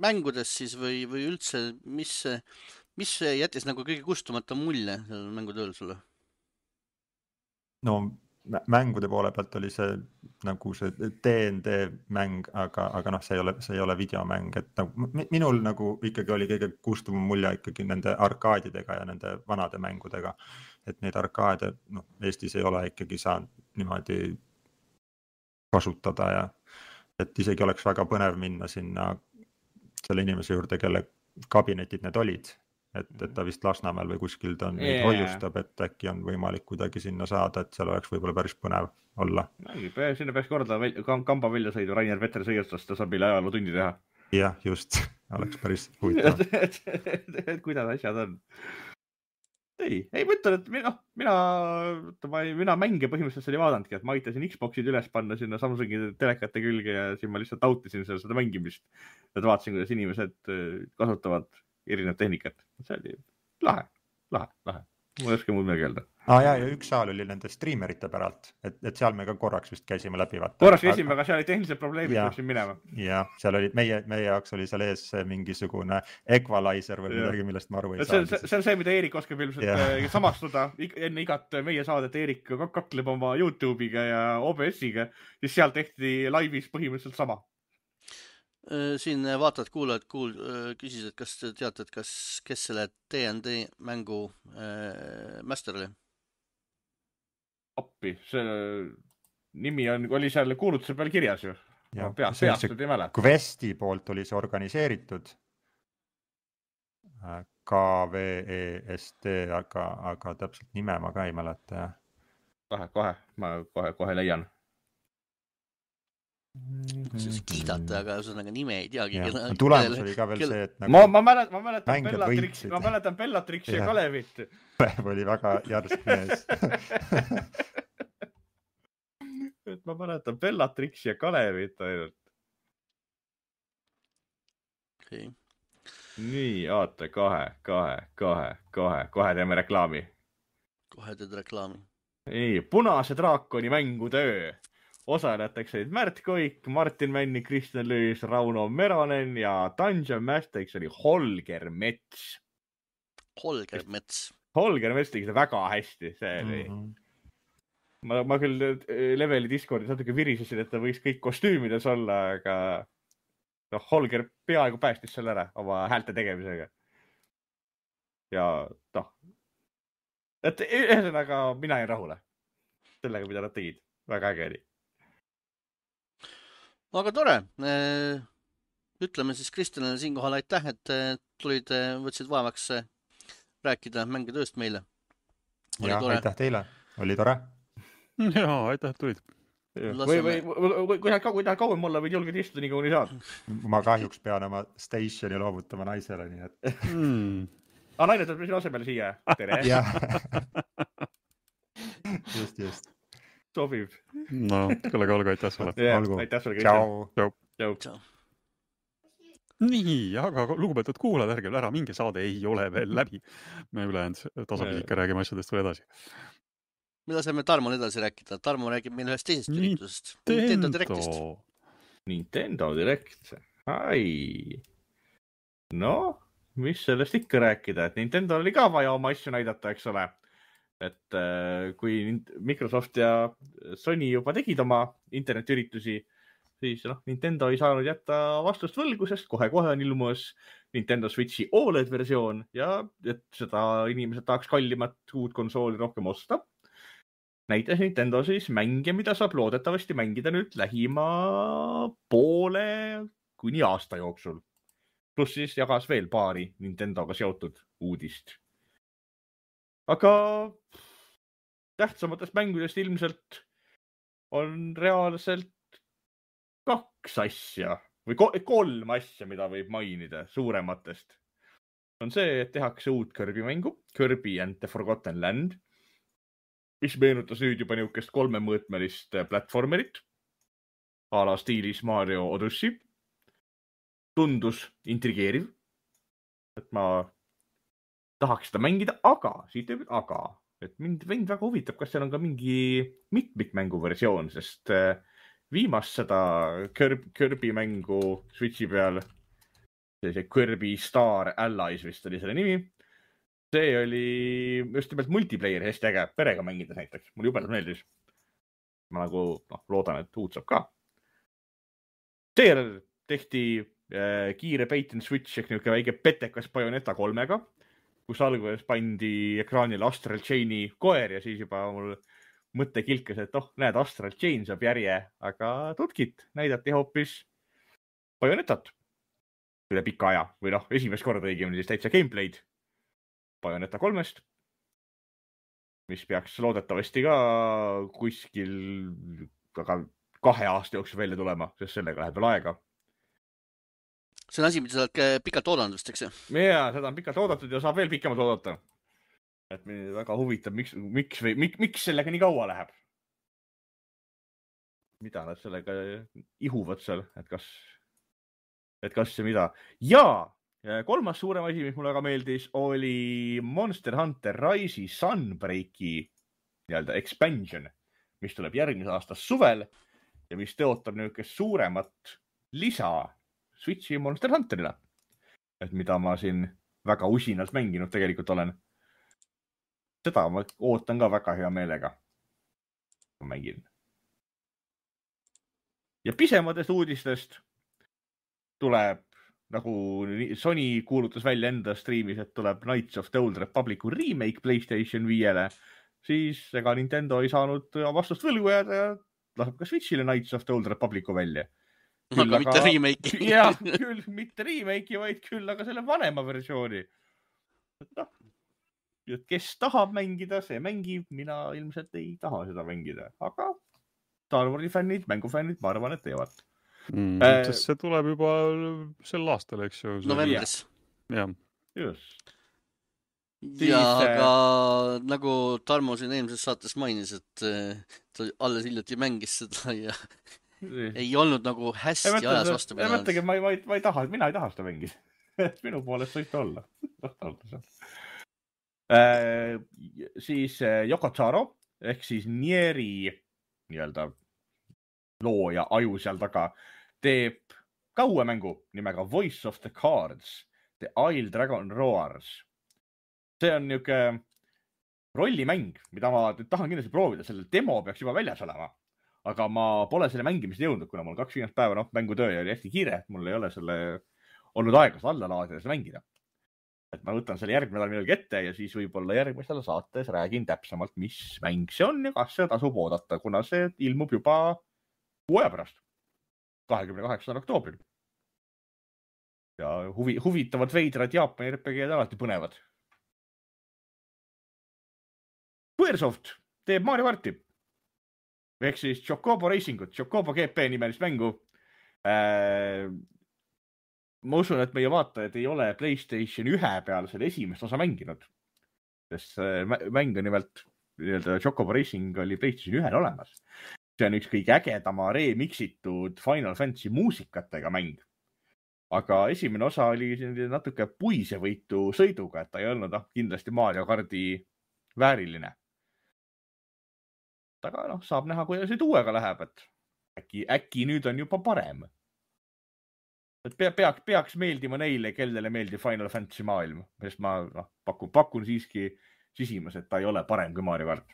mängudes siis või, või üldse, mis, mis jättis nagu kõige kustumata mulje sellel mängutööl sulle? No mängude poole pealt oli see nagu see D and D mäng, aga, aga noh, see ei ole, see ei ole videomäng, et nagu, minul nagu ikkagi oli kõige kustuvam mulje ikkagi nende arkaadidega ja nende vanade mängudega, et neid arkaade noh, Eestis ei ole ikkagi saanud niimoodi kasutada ja et isegi oleks väga põnev minna sinna selle inimese juurde, kelle kabinetid need olid, et, et ta vist Lasnamäel või kuskil ta neid Yeah. hoiustab, et äkki on võimalik kuidagi sinna saada, et seal oleks võib-olla päris põnev olla. Sinna peaks korda väl- kamba välja sõidu Rainer Vetter sõiestast, ta saab meile ajaloo tundi teha. Jah, just, oleks päris huvitav. et, et, et kuidas asjad on. Ei, ei mõtlen, et mina, mina, ma, mina mänge põhimõtteliselt oli vaadanudki, et ma aitasin Xboxid üles panna sinna Samsungi telekate külge ja siin ma lihtsalt nautisin seda, seda mängimist. Et vaatasin, kuidas inimesed kasutavad erinevat tehnikat. See oli lahe, lahe, lahe. Ma ei oska muud midagi öelda. Ah, ja, ja üks saal oli nende streamerite päralt, et, et seal me ka korraks vist käisime läbi. Vaata. Korraks käisime, aga seal oli tehnilised probleemid, peaksin minema. Ja, seal oli, meie, meie jaoks oli seal ees mingisugune equalizer või midagi, millest ma aru ei see, saa. See, see on see, mida Eerik oskab ilmselt yeah. samastuda enne igat meie saadet. Eerik kakleb oma YouTube'iga ja O B S-iga, siis seal tehti laivis põhimõtteliselt sama. Siin vaatad, kuulajad kuul, küsisid, kas te teate, et kas, kes selle D and D mängu äh, master oli? Appi, see nimi on, oli seal kuulutuse peal kirjas ju. Ja, peast, peast ei mäleta. Questi poolt oli see organiseeritud. K V E S T, aga, aga täpselt nime ma ka ei mäleta. Kohe, kohe, ma kohe, kohe leian. Siis kiidate, aga ühesõnaga nime ei teagi. Ja, tulemus oli ka veel kelle... see, et nagu ma, ma mäletan, ma mäletan Bellatrix, ma mäletan Bellatrix ja, ja Kalevit. oli väga järsk mees. et ma mäletan Bellatrix ja Kalevit ainult. Okay. Nii, aata, kahe, kahe, kahe, kahe, kohe teeme reklaami. Kohe teed reklaami. Nii, Punase draakoni mängutöö. Osalejateks olid Märt Koik, Martin Männi, Kristjan Lüüs, Rauno Meronen ja Dungeon Master'iks oli Holger Mets. Holger Mets. Holger Mets tegi seda väga hästi, see oli. Mm-hmm. Ma, ma küll Leveli Discordis natuke virisesin, et ta võiks kõik kostüümides olla, aga no, Holger peaaegu päästis selle ära oma häälte tegemisega. Ja noh, et ühesõnaga mina ei rahule sellega, mida nad tegid. Väga äge oli. Aga tore. Ütleme siis Kristjanile siinkohal aitäh, et tulid, võtsid vaevaks rääkida mängitööst meile. Oli ja, tore. Aitäh teile. Oli tore. Jaa, aitäh, et tulid. Või, või, või kui tahad kauem olla, võid julged istuda nii kaua nii saad. Ma kahjuks pean oma stationi loovutama naisele, nii et... Mm. Ah, naine tuleb sinu asemel siia. Tere. just, just. Sobib. No, kellega olgu, aitäh sulle. Yeah, aitäh sulle, Kristjan. Tšau. Tšau. Nii, aga lugupeetud kuulajad, ärge ära, mingi saade ei ole veel läbi. Me ülejäänud tasapisi ikka räägime asjadest veel edasi. Mida saame Tarmol edasi rääkida? Tarmo räägib meil ühest teisest üritusest. Nintendo Directist. Nintendo Direct. Ai. No, mis sellest ikka rääkida? Et Nintendo oli ka vaja oma asju näidata, eks ole. Et äh, kui Microsoft ja Sony juba tegid oma internetiüritusi, siis noh, Nintendo ei saanud jätta vastust võlgu, sest kohe-kohe on ilmus Nintendo Switchi O L E D versioon ja et seda inimesed tahaks kallimat uut konsooli rohkem osta. Näitas Nintendo siis mänge, mida saab loodetavasti mängida nüüd lähima poole kuni aasta jooksul. Plus siis jagas veel paari Nintendoga seotud uudist. Aga tähtsamatest mängudest ilmselt on reaalselt kaks asja või kolm asja, mida võib mainida suurematest. on see, et tehakse uut Kirby mängu, Kirby and the Forgotten Land, mis meenutas nüüd juba niukest kolmemõõtmelist platformerit, a la stiilis Mario Odyssey. Tundus intrigeeriv, et ma tahaks seda mängida, aga, siit võib aga, et mind, mind väga huvitab, kas seal on ka mingi mitmikmängu versioon, sest viimast seda Kirby, Kirby mängu Switchi peal, see Kirby Star Allies vist oli selle nimi, see oli just nimelt multiplayer hästi äge, perega mängides näiteks, mul jubedalt meeldis. Ma nagu no, loodan, et uut saab ka. Seejärel tehti äh, kiire bait and switch ehk niuke väike petekas Bayonetta kolmega, kus alguses pandi ekraanile Astral Chaini koer ja siis juba mul mõte kilkas, et oh, näed, Astral Chain saab järje, aga tutkit näidati hoopis Bayonettat üle pika aja või noh, esimest korda õigemini siis täitsa gameplay'd Bayonetta kolmest, mis peaks loodetavasti ka kuskil aga kahe aasta jooksul välja tulema, sest sellega läheb veel aega. See on asi, mida sa oled pikalt oodanud vist, eks ju? Jaa, seda on pikalt oodatud ja saab veel pikemalt oodata. Et mind väga huvitab, miks, miks, või, miks, miks sellega nii kaua läheb? Mida nad sellega ihuvad seal, et kas, et kas ja mida. Ja kolmas suurem asi, mis mulle väga meeldis, oli Monster Hunter Rise'i Sunbreaki nii-öelda expansion, mis tuleb järgmise aasta suvel ja mis teotab niisugust suuremat lisa Switchi Monster Hunterile, et mida ma siin väga usinalt mänginud tegelikult olen. Seda ma ootan ka väga hea meelega. Ma mängin. Ja pisematest uudistest tuleb, nagu Sony kuulutas välja enda streamis, et tuleb Knights of the Old Republicu remake PlayStation viiele, siis ega Nintendo ei saanud vastust võlgu jääda ja laseb ka Switchile Knights of the Old Republicu välja. Küll aga mitte remake'i. Jah, küll mitte remake'i, vaid küll aga selle vanema versiooni. No, kes tahab mängida, see mängib. Mina ilmselt ei taha seda mängida, aga Star Warsi fännid, mängufännid, ma arvan, et teevad. Mm, äh, sest see tuleb juba sel aastal, eks ju? Novembris. Jah. Just. Ja, aga nagu Tarmo siin eelmises saates mainis, et ta alles hiljuti mängis seda ja ei olnud nagu hästi mõtle, ajas vastu pidanud. Mõtlegi, ma, ma, ma ei taha, mina ei taha seda mängida. Minu poolest võite olla. äh, siis Yoko Taro ehk siis Nieri nii-öelda looja aju seal taga teeb ka uue mängu nimega Voice of the Cards, The Isle Dragon Roars. See on niuke rollimäng, mida ma tahan kindlasti proovida. Selle demo peaks juba väljas olema, aga ma pole selle mängimist jõudnud, kuna mul kaks viimast päeva noh, mängutöö oli hästi kiire, et mul ei ole selle olnud aega alla laadida seda mängida. Et ma võtan selle järgmine nädal millalgi ette ja siis võib-olla järgmisel saates räägin täpsemalt, mis mäng see on ja kas see tasub oodata, kuna see ilmub juba kuu aja pärast, kahekümne kaheksandal oktoobril. Ja huvi, huvitavad veidrad Jaapani R P G-d alati põnevad. Squaresoft teeb Mario Karti. Ehk siis Chocobo Racingut, Chocobo G P nimelist mängu. Äh, ma usun, et meie vaatajad ei ole PlayStation ühe peal selle esimest osa mänginud. Sest mäng on nimelt, Chocobo Racing oli PlayStation ühel olemas. See on üks kõige ägedama remixitud Final Fantasy muusikatega mäng. Aga esimene osa oli natuke puisevõitu sõiduga, et ta ei olnud kindlasti Mario Karti vääriline. Aga noh, saab näha, kuidas nüüd uuega läheb, et äkki, äkki nüüd on juba parem. Et peaks, peaks meeldima neile, kellele meeldib Final Fantasy maailm, sest ma no, pakun, pakun siiski sisimas, et ta ei ole parem kui Mario Kart.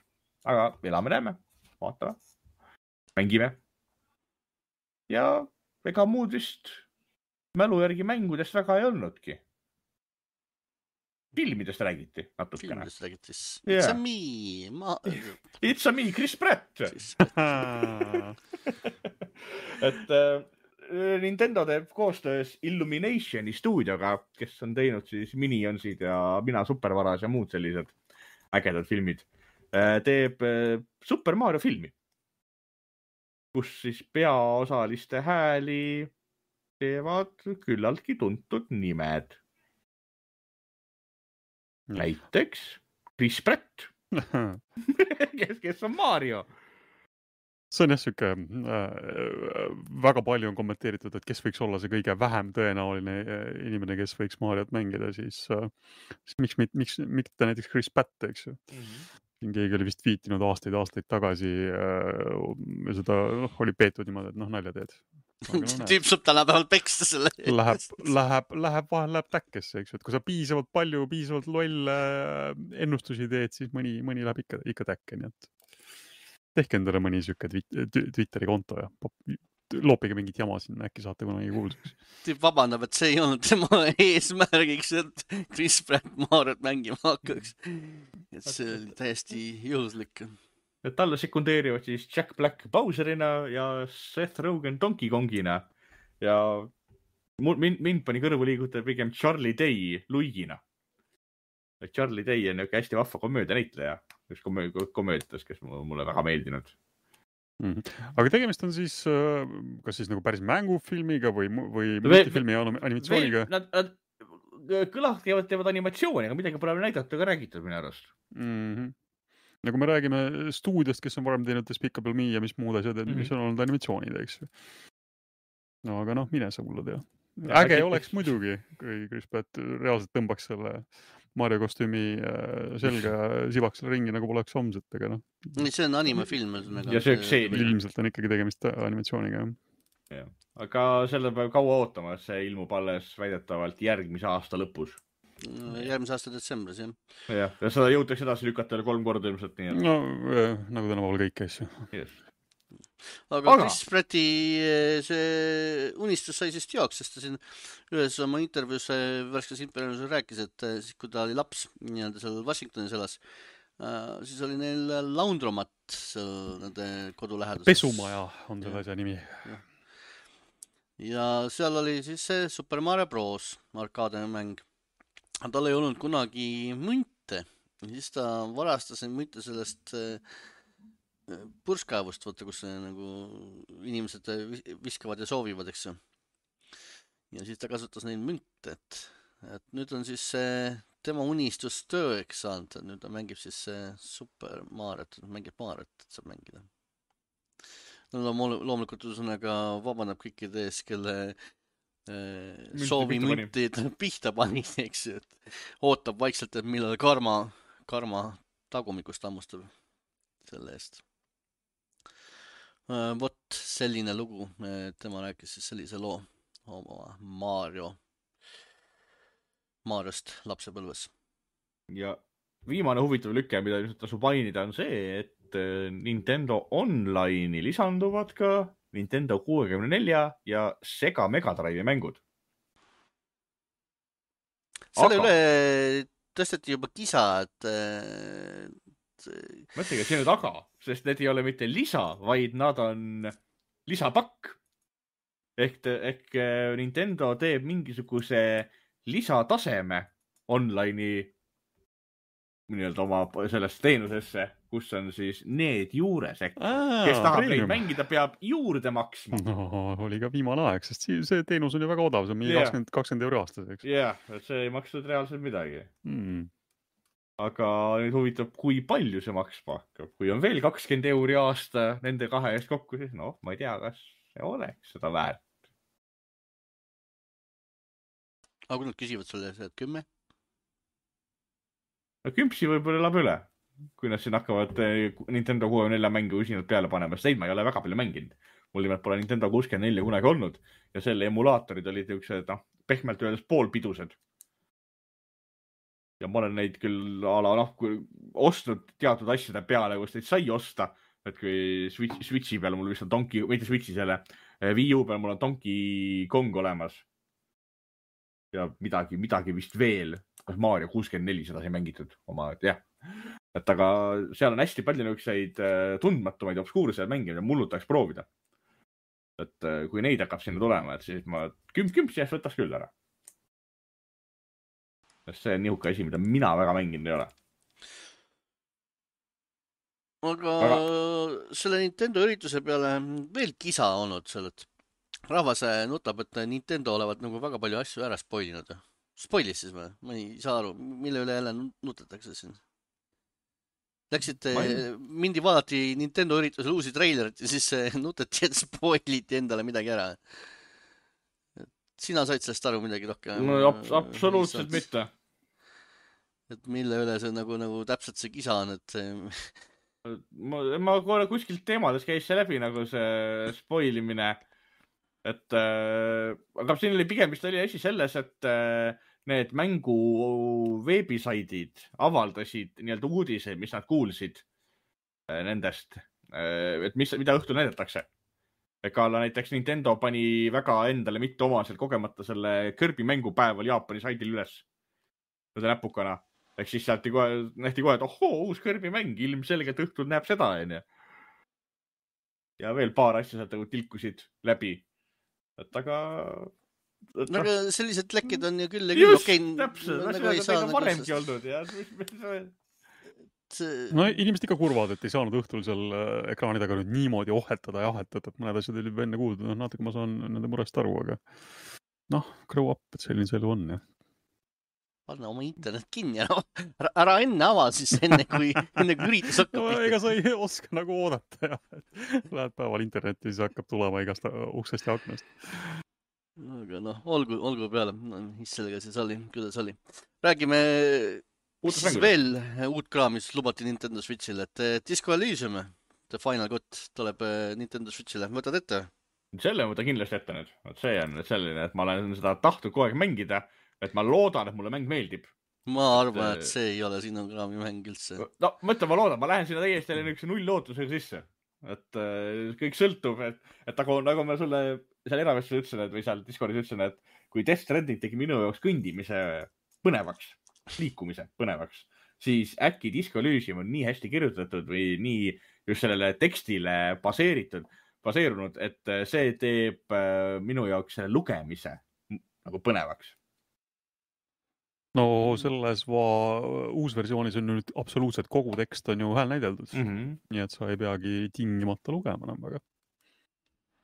Aga elame näeme, vaatame, mängime. Ja ega muud vist mälu järgi mängudest väga ei olnudki. Filmidest räägiti natukene. Filmidest räägiti. Yeah. It's a me. Ma... It's a me, Chris Pratt. et äh, Nintendo teeb koostöös Illuminationi stuudioga, kes on teinud siis Minionsid ja Mina Supervaras ja muud sellised ägedad filmid, äh, teeb äh, Super Mario filmi, kus siis peaosaliste hääli teevad küllaltki tuntud nimed. näiteks Chris Pratt, kes, kes on Mario. See on jah siuke äh, väga palju on kommenteeritud, et kes võiks olla see kõige vähem tõenäoline inimene, kes võiks Mariot mängida, siis, äh, siis miks, miks, miks ta näiteks Chris Pratt, eks ju. Mm-hmm. Keegi oli vist viitinud aastaid, aastaid tagasi äh, seda noh, oli peetud niimoodi, et noh, nalja teed. No, tüüp saab tänapäeval peksta selle. Läheb, läheb, läheb, vahel läheb täkkesse, eks ju, et kui sa piisavalt palju, piisavalt lolle ennustusi teed, siis mõni, mõni läheb ikka, ikka täkke, nii et tehke endale mõni siuke Twitteri konto ja loopige mingit jama sinna, äkki saate kunagi kuulsaks. Tüüp vabandab, et see ei olnud tema eesmärgiks, et Chris Pratt Mariot mängima hakkaks. Et see oli täiesti juhuslik. Et talle sekundeerivad siis Jack Black Bowserina ja Seth Rogen Donkey Kongina. Ja mind, mind pani kõrvu liigutada pigem Charlie Day Luigina. Charlie Day on niuke hästi vahva komöödia näitleja. Üks komööditas, kes mulle väga meeldinud. Mm-hmm. Aga tegemist on siis, kas siis nagu päris mängufilmiga või, või multifilmi animatsiooniga? Nad, nad kõlad teevad, teevad animatsiooni, aga midagi pole näidata ka räägitud minu arust. Mm-hmm. Ja kui me räägime stuudiost, kes on varem teinud Despicable Me ja mis muud asjad, mm-hmm. mis on olnud animatsioonid, eks. No aga noh, mine sa mulle tea. Äge ja, oleks muidugi, kui Chris Pratt reaalselt tõmbaks selle Mario kostüümi selga sibaks selle ringi, nagu poleks homset, aga noh. See on animefilm. Ja see üks see. Ilmselt on ikkagi tegemist animatsiooniga. Ja. Aga selle peab kaua ootama, see ilmub alles väidetavalt järgmise aasta lõpus. Järgmise aasta detsembris, jah. Ja, ja seda jõutakse edasi lükata kolm korda ilmselt nii. No, nagu tänapäeval kõik asju. Yes. Aga, aga Chris Pratti see unistus sai siis teoks, sest ta siin ühes oma intervjuus värskes intervjuus rääkis, et siis, kui ta oli laps nii-öelda seal Washingtonis elas, siis oli neil laundromat seal nende kodu läheduses. Pesumaja on selle asja nimi. Ja. ja seal oli siis see Super Mario Bros. Arkaade mäng. Tal ei olnud kunagi munte. Siis ta varastas munte sellest purskaevust, võtta, kus nagu inimesed viskavad ja soovivad, eks ju. Ja siis ta kasutas neid münte, et, et nüüd on siis see tema unistus tööks saanud, et nüüd ta mängib siis Super Mariot, mängib Mariot, et saab mängida. No, loomulikult üsõnaga vabandab kõikide ees, kelle eh, soovi müntid pihta pani, eks ju, et ootab vaikselt, et millal karma, karma tagumikust hammustab selle eest. Uh, vot selline lugu, tema rääkis siis sellise loo oma Mario, Mariost lapsepõlves. Ja viimane huvitav lüke, mida tasub mainida, on see, et Nintendo Online'i lisanduvad ka Nintendo kuuekümne nelja ja Sega Mega Drive'i mängud. Selle aga... üle tõsteti juba kisa, et mõtlegi, et see nüüd aga, sest need ei ole mitte lisa, vaid nad on lisapakk. Ehk, ehk Nintendo teeb mingisuguse lisataseme online'i nii-öelda oma sellest teenusesse, kus on siis need juures. Ehk, Aa, kes tahab neid mängida, peab juurde maksma. No, oli ka viimane aeg, sest see teenus on ju väga odav, see on yeah. kakskümmend, kakskümmend euro aastas. Jah, yeah, see ei maksnud reaalselt midagi. Hmm. Aga nüüd huvitab, kui palju see maksma hakkab. Kui on veel kakskümmend euri aasta nende kahe eest kokku, siis noh, ma ei tea, kas see oleks seda väärt. Aga kui nad küsivad sulle, et kümme? No kümpsi võib-olla elab üle, kui nad siin hakkavad Nintendo kuuekümne nelja mängu usinalt peale panema. Sest ma ei ole väga palju mänginud. Mul nimelt pole Nintendo kuuskümmend neli kunagi olnud. Ja selle emulaatorid olid üks, noh, pehmelt öeldes poolpidused. Ja ma olen neid küll ala, noh, kui ostnud teatud asjade peale, kus neid sai osta, et kui Switch, Switchi peal mul vist on Donkey, mitte Switchi selle, Wii U peal mul on Donkey Kong olemas. Ja midagi, midagi vist veel, kas Mario kuuskümmend neli seda sai mängitud oma, et jah. Et aga seal on hästi palju niukseid tundmatumaid obskuurseid mänge, mida mullu tahaks proovida. Et kui neid hakkab sinna tulema, et siis ma kümp-kümp siis võtaks küll ära. See on nihuke asi, mida mina väga mänginud ei ole. Aga, aga selle Nintendo ürituse peale veel kisa olnud seal, et rahvas nutab, et Nintendo olevat nagu väga palju asju ära spoilinud. Spoilis siis või? Ma ei saa aru, mille üle jälle nutetakse siin. Läksite, mindi vaadati Nintendo üritusel uusi treilerit ja siis nuteti, et spoiliti endale midagi ära. Sina said sellest aru midagi rohkem? No, absoluutselt mitte. Et mille üle see nagu, nagu täpselt see kisa on, et ma, ma korra kuskilt teemades käis see läbi nagu see spoilimine, et äh, aga siin oli pigem vist oli asi selles, et äh, need mängu veebisaidid avaldasid nii-öelda uudiseid, mis nad kuulsid äh, nendest, äh, et mis, mida õhtul näidatakse. Ega näiteks Nintendo pani väga endale mitte omaselt kogemata selle Kirby mängupäeval Jaapani saidil üles seda näpukana. Ehk siis sealt kohe, nähti kohe, et ohoo, uus Kirby mäng, ilmselgelt õhtul näeb seda, on ju. Ja veel paar asja sealt tilkusid läbi. Et aga... Et, no, aga sellised lekkid on ju küll ja küll. Just, okay, täpselt. Nagu ei saa, nagu varemgi sest... olnud. Ja... No inimesed ikka kurvad, et ei saanud õhtul seal ekraani taga nüüd niimoodi ohetada ja ahetada, et mõned asjad oli enne kuuldud. No, natuke ma saan nende murest aru, aga noh, grow up, et selline see elu on, jah. Panna oma internet kinni, ära, ära enne ava siis enne, kui, enne kui üritus hakkab. No, ega sa ei oska nagu oodata, jah. Lähed päeval internetti, siis hakkab tulema igast uksest ja aknast. Aga noh, olgu, olgu peale. No, mis sellega siis oli, kuidas oli. Räägime siis veel uut kraam, mis lubati Nintendo Switchile, et Disco Elysium, The Final Cut tuleb Nintendo Switchile. Võtad ette? Selle võta kindlasti ette nüüd. See on selline, et ma olen seda tahtnud kogu aeg mängida. Et ma loodan, et mulle mäng meeldib. Ma arvan, et see ei ole sinu kraami mäng üldse. No, mõtle, ma loodan, ma lähen sinna täiesti üks null lootusega sisse. Et äh, kõik sõltub, et, et nagu, nagu ma sulle seal eravestel ütlesin, et, või seal Discordis ütlesin, et kui Death Stranding tegi minu jaoks kõndimise põnevaks, liikumise põnevaks, siis äkki Disco Elysium on nii hästi kirjutatud või nii just sellele tekstile baseeritud, baseerunud, et see teeb äh, minu jaoks selle lugemise nagu põnevaks. No selles va- uusversioonis on nüüd absoluutselt kogu tekst on ju hääl näideldud. Mm -hmm. Nii et sa ei peagi tingimata lugema enam väga.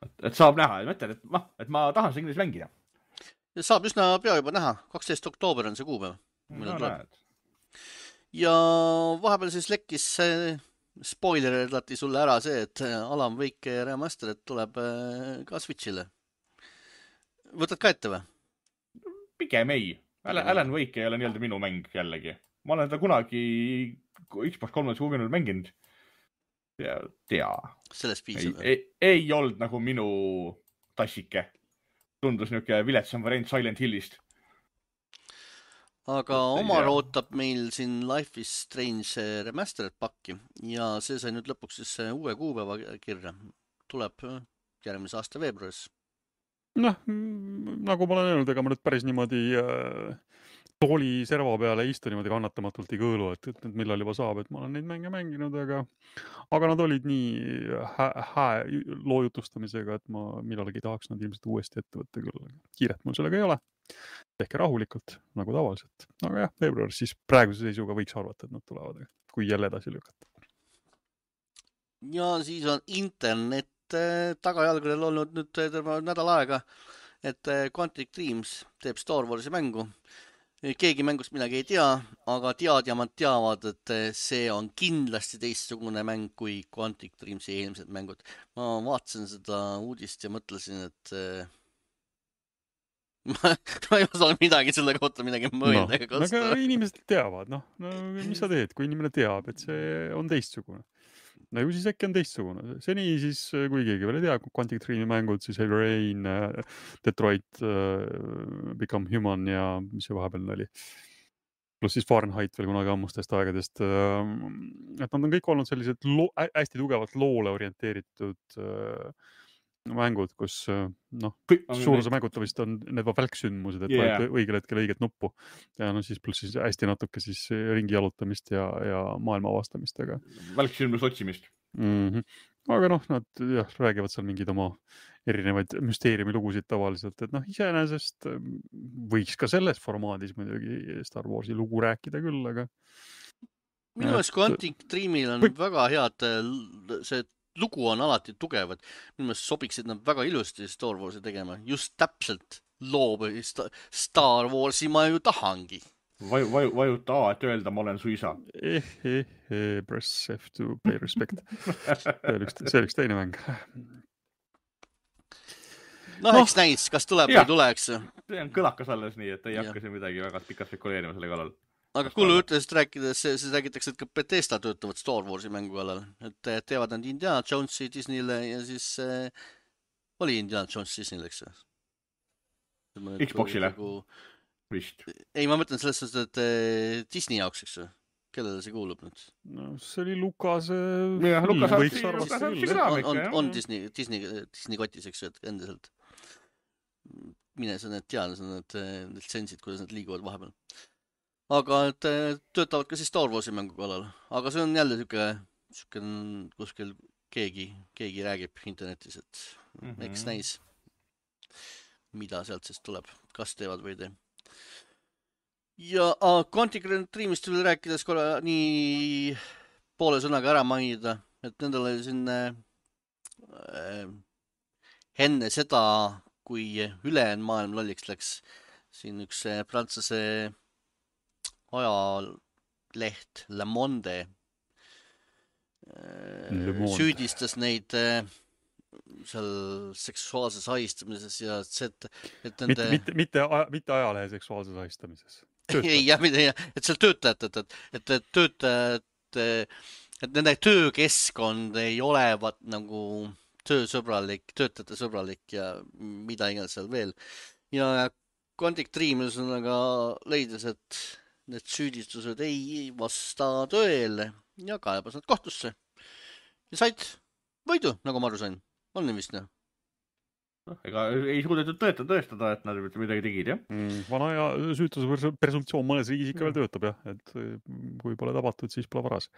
Et, et saab näha, et mõtlen, et, ma, et ma tahan seda kindlasti mängida. Saab üsna pea juba näha. kaksteist oktoober on see kuupäev. No, ja vahepeal siis lekkis spoiler lati sulle ära see, et Alan Wake Remastered tuleb ka Switchile. Võtad ka ette või? Pigem ei. Alan Wake ei ole nii-öelda minu mäng jällegi. Ma olen ta kunagi Xbox kolmkümmend kuuskümmend mänginud. Ja tea. Sellest piisab. Ei, ei, ei olnud nagu minu tassike. Tundus niuke viletsam variant Silent Hillist. Aga Omar ootab meil siin Life is Strange Remastered pakki ja see sai nüüd lõpuks siis uue kuupäeva kirja. Tuleb järgmise aasta veebruaris. Noh, nagu ma olen öelnud, ega ma nüüd päris niimoodi äh, tooli serva peale istu niimoodi kannatamatult ei kõõlu, et, et, et millal juba saab, et ma olen neid mänge mänginud, aga, aga nad olid nii hää, hää loojutustamisega, et ma millalgi tahaks nad ilmselt uuesti ette võtta küll. Kiiret mul sellega ei ole. Tehke rahulikult, nagu tavaliselt. Aga jah, veebruaris siis praeguse seisuga võiks arvata, et nad tulevad, kui jälle edasi lükata. Ja siis on internet tagajalgudel olnud nüüd terve nädal aega, et Quantic Dreams teeb Star Warsi mängu. Keegi mängust midagi ei tea, aga teadjamad teavad, et see on kindlasti teistsugune mäng kui Quantic Dreamsi eelmised mängud. Ma vaatasin seda uudist ja mõtlesin, et ma, ma ei osanud midagi selle kohta midagi mõelda. No, aga inimesed teavad, noh, no, mis sa teed, kui inimene teab, et see on teistsugune. No ju siis äkki on teistsugune. Seni siis, kui keegi veel ei tea, Quantic Dreami mängud, siis Heavy Rain, Detroit, Become Human ja mis see vahepeal oli. Plus siis Fahrenheit veel kunagi ammustest aegadest. Et nad on kõik olnud sellised lo- hästi tugevalt loole orienteeritud mängud, kus noh, suur osa mängud vist on need välksündmused, et yeah. Vaid õigel hetkel õiget nuppu. Ja no siis pluss siis hästi natuke siis ringi jalutamist ja, ja maailma avastamist. Aga... Välksündmus otsimist. Mm-hmm. Aga noh, nad jah, räägivad seal mingid oma erinevaid müsteeriumi lugusid tavaliselt, et noh, iseenesest võiks ka selles formaadis muidugi Star Warsi lugu rääkida küll, aga... Minu meelest Quantic Dreamil on Või... väga head see lugu on alati tugevad. Minu meelest sobiksid nad väga ilusti Star Warsi tegema. Just täpselt loob Star Warsi ma ju tahangi. Vaju, vaju, vajuta A, et öelda, ma olen su isa. Eh, eh, eh, press F to pay respect. see oli üks, see oli üks teine mäng. No, no eks näis, kas tuleb ja. või tuleks. See on kõlakas alles nii, et ei ja. hakka siin midagi väga pikalt spekuleerima selle kallal. Aga kullu ütlesid rääkides, siis räägitakse, et ka Bethesda töötavad Star Warsi mängu kallal. Et teevad nad Indiana Jonesi Disneyle ja siis äh, oli Indiana Jones Disneyle, eks? Xboxile nagu... vist. Ei, ma mõtlen selles suhtes, et äh, Disney jaoks, eks? Kellele see kuulub nüüd? No see oli Lukas... Ja, Lukas võiks arvata küll. On, on, on Disney, Disney, Disney kotis, eks? Et endiselt. Mine sa need teada, sa need litsentsid, kuidas need liiguvad vahepeal. Aga et töötavad ka siis Star Warsi mängu kallal. Aga see on jälle siuke, siuke kuskil keegi, keegi räägib internetis, et mm -hmm. eks näis, mida sealt siis tuleb, kas teevad või ei tee. Ja ah, Quantic Dreamist veel rääkides korra nii poole sõnaga ära mainida, et nendel oli siin äh, enne seda, kui ülejäänud maailm lolliks läks, siin üks prantsuse ajaleht Le Monde Le Monde süüdistas neid seal seksuaalses ahistamises ja et, et nende... mitte, mitte, mitte, mitte ajalehe seksuaalses ahistamises. Ei, jah, et seal töötajad, et, et, et töötajad, et nende töökeskkond ei olevat nagu töösõbralik, töötajate sõbralik ja mida iganes seal veel. Ja Quantic Dream aga leidis, et need süüdistused ei vasta tõele ja kaebas nad kohtusse. Ja said võidu, nagu ma aru sain. On nii vist, jah? No, ega ei suudetud tõeta, tõestada, et nad midagi tegid, jah? Mm, vana ja süütuse presumptsioon mõnes riigis ikka veel töötab, jah. Et kui pole tabatud, siis pole varas.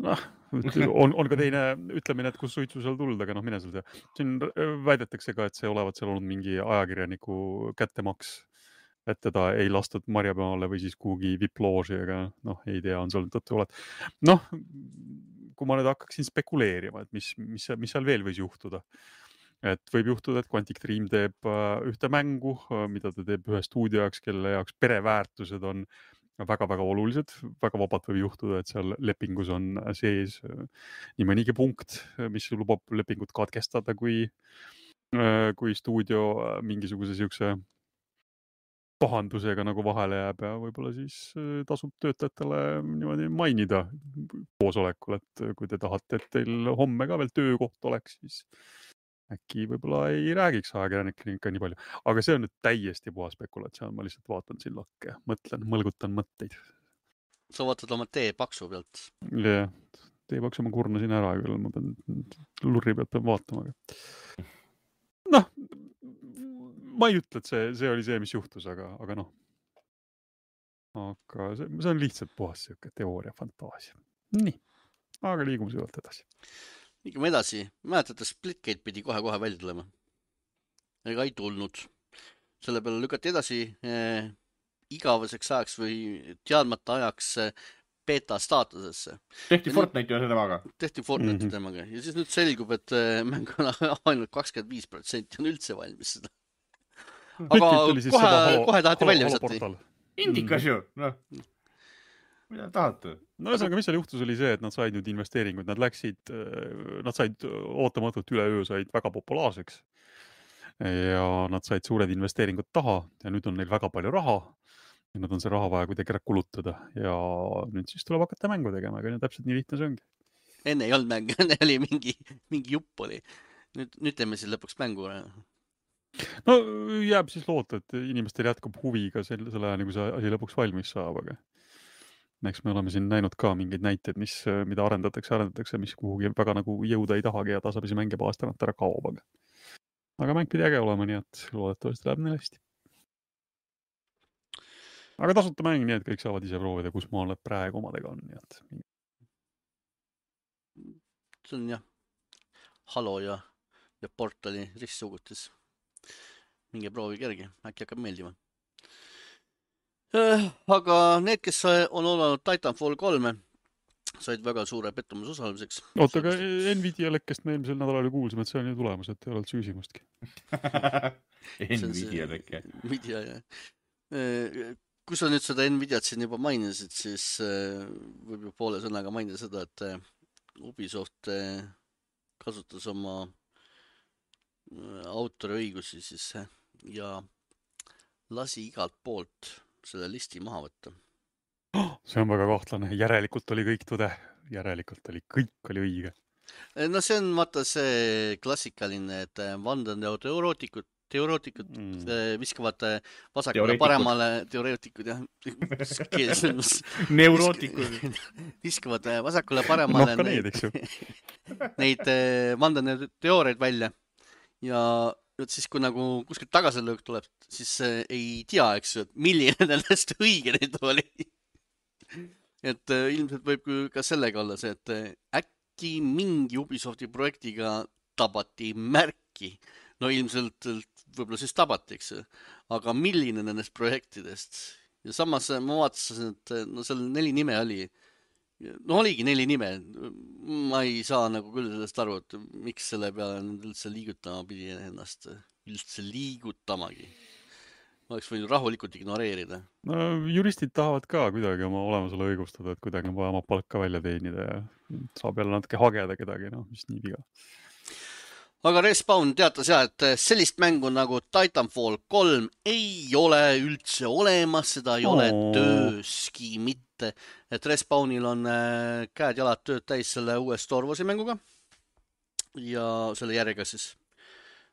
Noh, on, on ka teine ütlemine, et kus suitsu seal tuld, aga noh, mine seal tea. Siin väidetakse ka, et see olevat seal olnud mingi ajakirjaniku kättemaks, et teda ei lastud marjapeale või siis kuhugi viplooži, aga noh, ei tea, on seal tõttu oled. Noh, kui ma nüüd hakkaksin spekuleerima, et mis, mis, mis seal veel võis juhtuda. Et võib juhtuda, et Quantic Dream teeb ühte mängu, mida ta teeb ühe stuudio jaoks, kelle jaoks pereväärtused on väga-väga olulised. Väga vabalt võib juhtuda, et seal lepingus on sees nii mõnigi punkt, mis lubab lepingut katkestada, kui, kui stuudio mingisuguse siukse pahandusega nagu vahele jääb ja võib-olla siis tasub töötajatele niimoodi mainida koosolekul, et kui te tahate, et teil homme ka veel töökoht oleks, siis äkki võib-olla ei räägiks ajakirjanikele ikka nii palju. Aga see on nüüd täiesti puha spekulatsioon, ma lihtsalt vaatan siin lakke, mõtlen, mõlgutan mõtteid. Sa vaatad oma tee paksu pealt? Jah, tee paksu ma kurnasin ära küll, ma pean lurri pealt pean vaatama. Noh, ma ei ütle, et see, see oli see, mis juhtus, aga, aga noh. Aga see, see on lihtsalt puhas siuke teooria, fantaasia. Nii, aga liigume süvalt edasi. Liigume edasi. Mäletate, Splitgate pidi kohe-kohe välja tulema. Ega ei tulnud. Selle peale lükati edasi eh, igaveseks ajaks või teadmata ajaks eh, beta staatusesse. Tehti Fortnite ja temaga. Tehti Fortnite mm-hmm. temaga. Ja siis nüüd selgub, et eh, mäng on ainult kakskümmend viis protsenti on üldse valmis seda. Aga kohe, kohe taheti välja visati. Indikas ju, noh. Mida tahate? No ühesõnaga, mis seal juhtus oli see, et nad said nüüd investeeringuid. Nad läksid, nad said ootamatult üle öö said väga populaarseks. Ja nad said suured investeeringud taha ja nüüd on neil väga palju raha. Ja nad on see raha vaja kuidagi ära kulutada. Ja nüüd siis tuleb hakata mängu tegema, aga täpselt nii lihtne see ongi. Enne ei olnud mängu, enne oli mingi, mingi jupp oli. Nüüd, nüüd teeme siis lõpuks mängu. No jääb siis loota, et inimestel jätkub huvi ka selle, selle aja, nagu see asi lõpuks valmis saab, aga eks me oleme siin näinud ka mingeid näiteid, mis, mida arendatakse, arendatakse, mis kuhugi väga nagu jõuda ei tahagi ja tasapisi mänge aastanat ära kaob, aga, aga mäng pidi äge olema, nii et loodetavasti läheb neil hästi. Aga tasuta mäng, nii et kõik saavad ise proovida, kus maal need praegu omadega on, nii et see on jah, Halo ja, ja Portali ristsugutis. Minge proovi kerge, äkki hakkab meeldima. Aga need, kes on olnud Titanfall kolme, said väga suure pettumuse osalemiseks. oota, aga Nvidia lekkest me eelmisel nädalal ju kuulsime, et see on ju tulemus, et ei ole süüsimustki. Nvidia lekke. Nvidia, jah. Kui sa nüüd seda Nvidiat siin juba mainisid, siis võib ju poole sõnaga mainida seda, et Ubisoft kasutas oma autoriõigusi siis ja lasi igalt poolt selle listi maha võtta. See on väga kahtlane. Järelikult oli kõik tõde. Järelikult oli kõik oli õige. No see on vaata see klassikaline, et vandenõuteoreetikud teoreetikud mm. viskavad vasakule paremale, teoreetikud jah, neurootikud viskavad vasakule paremale no, neid, neid, neid vandenõuteooriaid välja ja siis kui nagu kuskilt tagasilöök tuleb, siis ei tea, eks ju, et milline nendest õige neid oli. Et ilmselt võib ka sellega olla see, et äkki mingi Ubisofti projektiga tabati märki. No ilmselt võib-olla siis tabati, eks ju. Aga milline nendest projektidest? Ja samas ma vaatasin, et no seal neli nime oli. No oligi neli nime. Ma ei saa nagu küll sellest aru, et miks selle peale üldse liigutama pidi ennast üldse liigutamagi. Ma oleks võinud rahulikult ignoreerida. No, juristid tahavad ka kuidagi oma olemusele õigustada, et kuidagi on vaja oma palka välja teenida ja saab jälle natuke hageda kedagi, no mis nii viga. Aga Respawn teatas jah, et sellist mängu nagu Titanfall kolm ei ole üldse olemas, seda ei oh. ole tööski mitte. Et Respawnil on käed-jalad tööd täis selle uue Star Warsi mänguga ja selle järjega siis.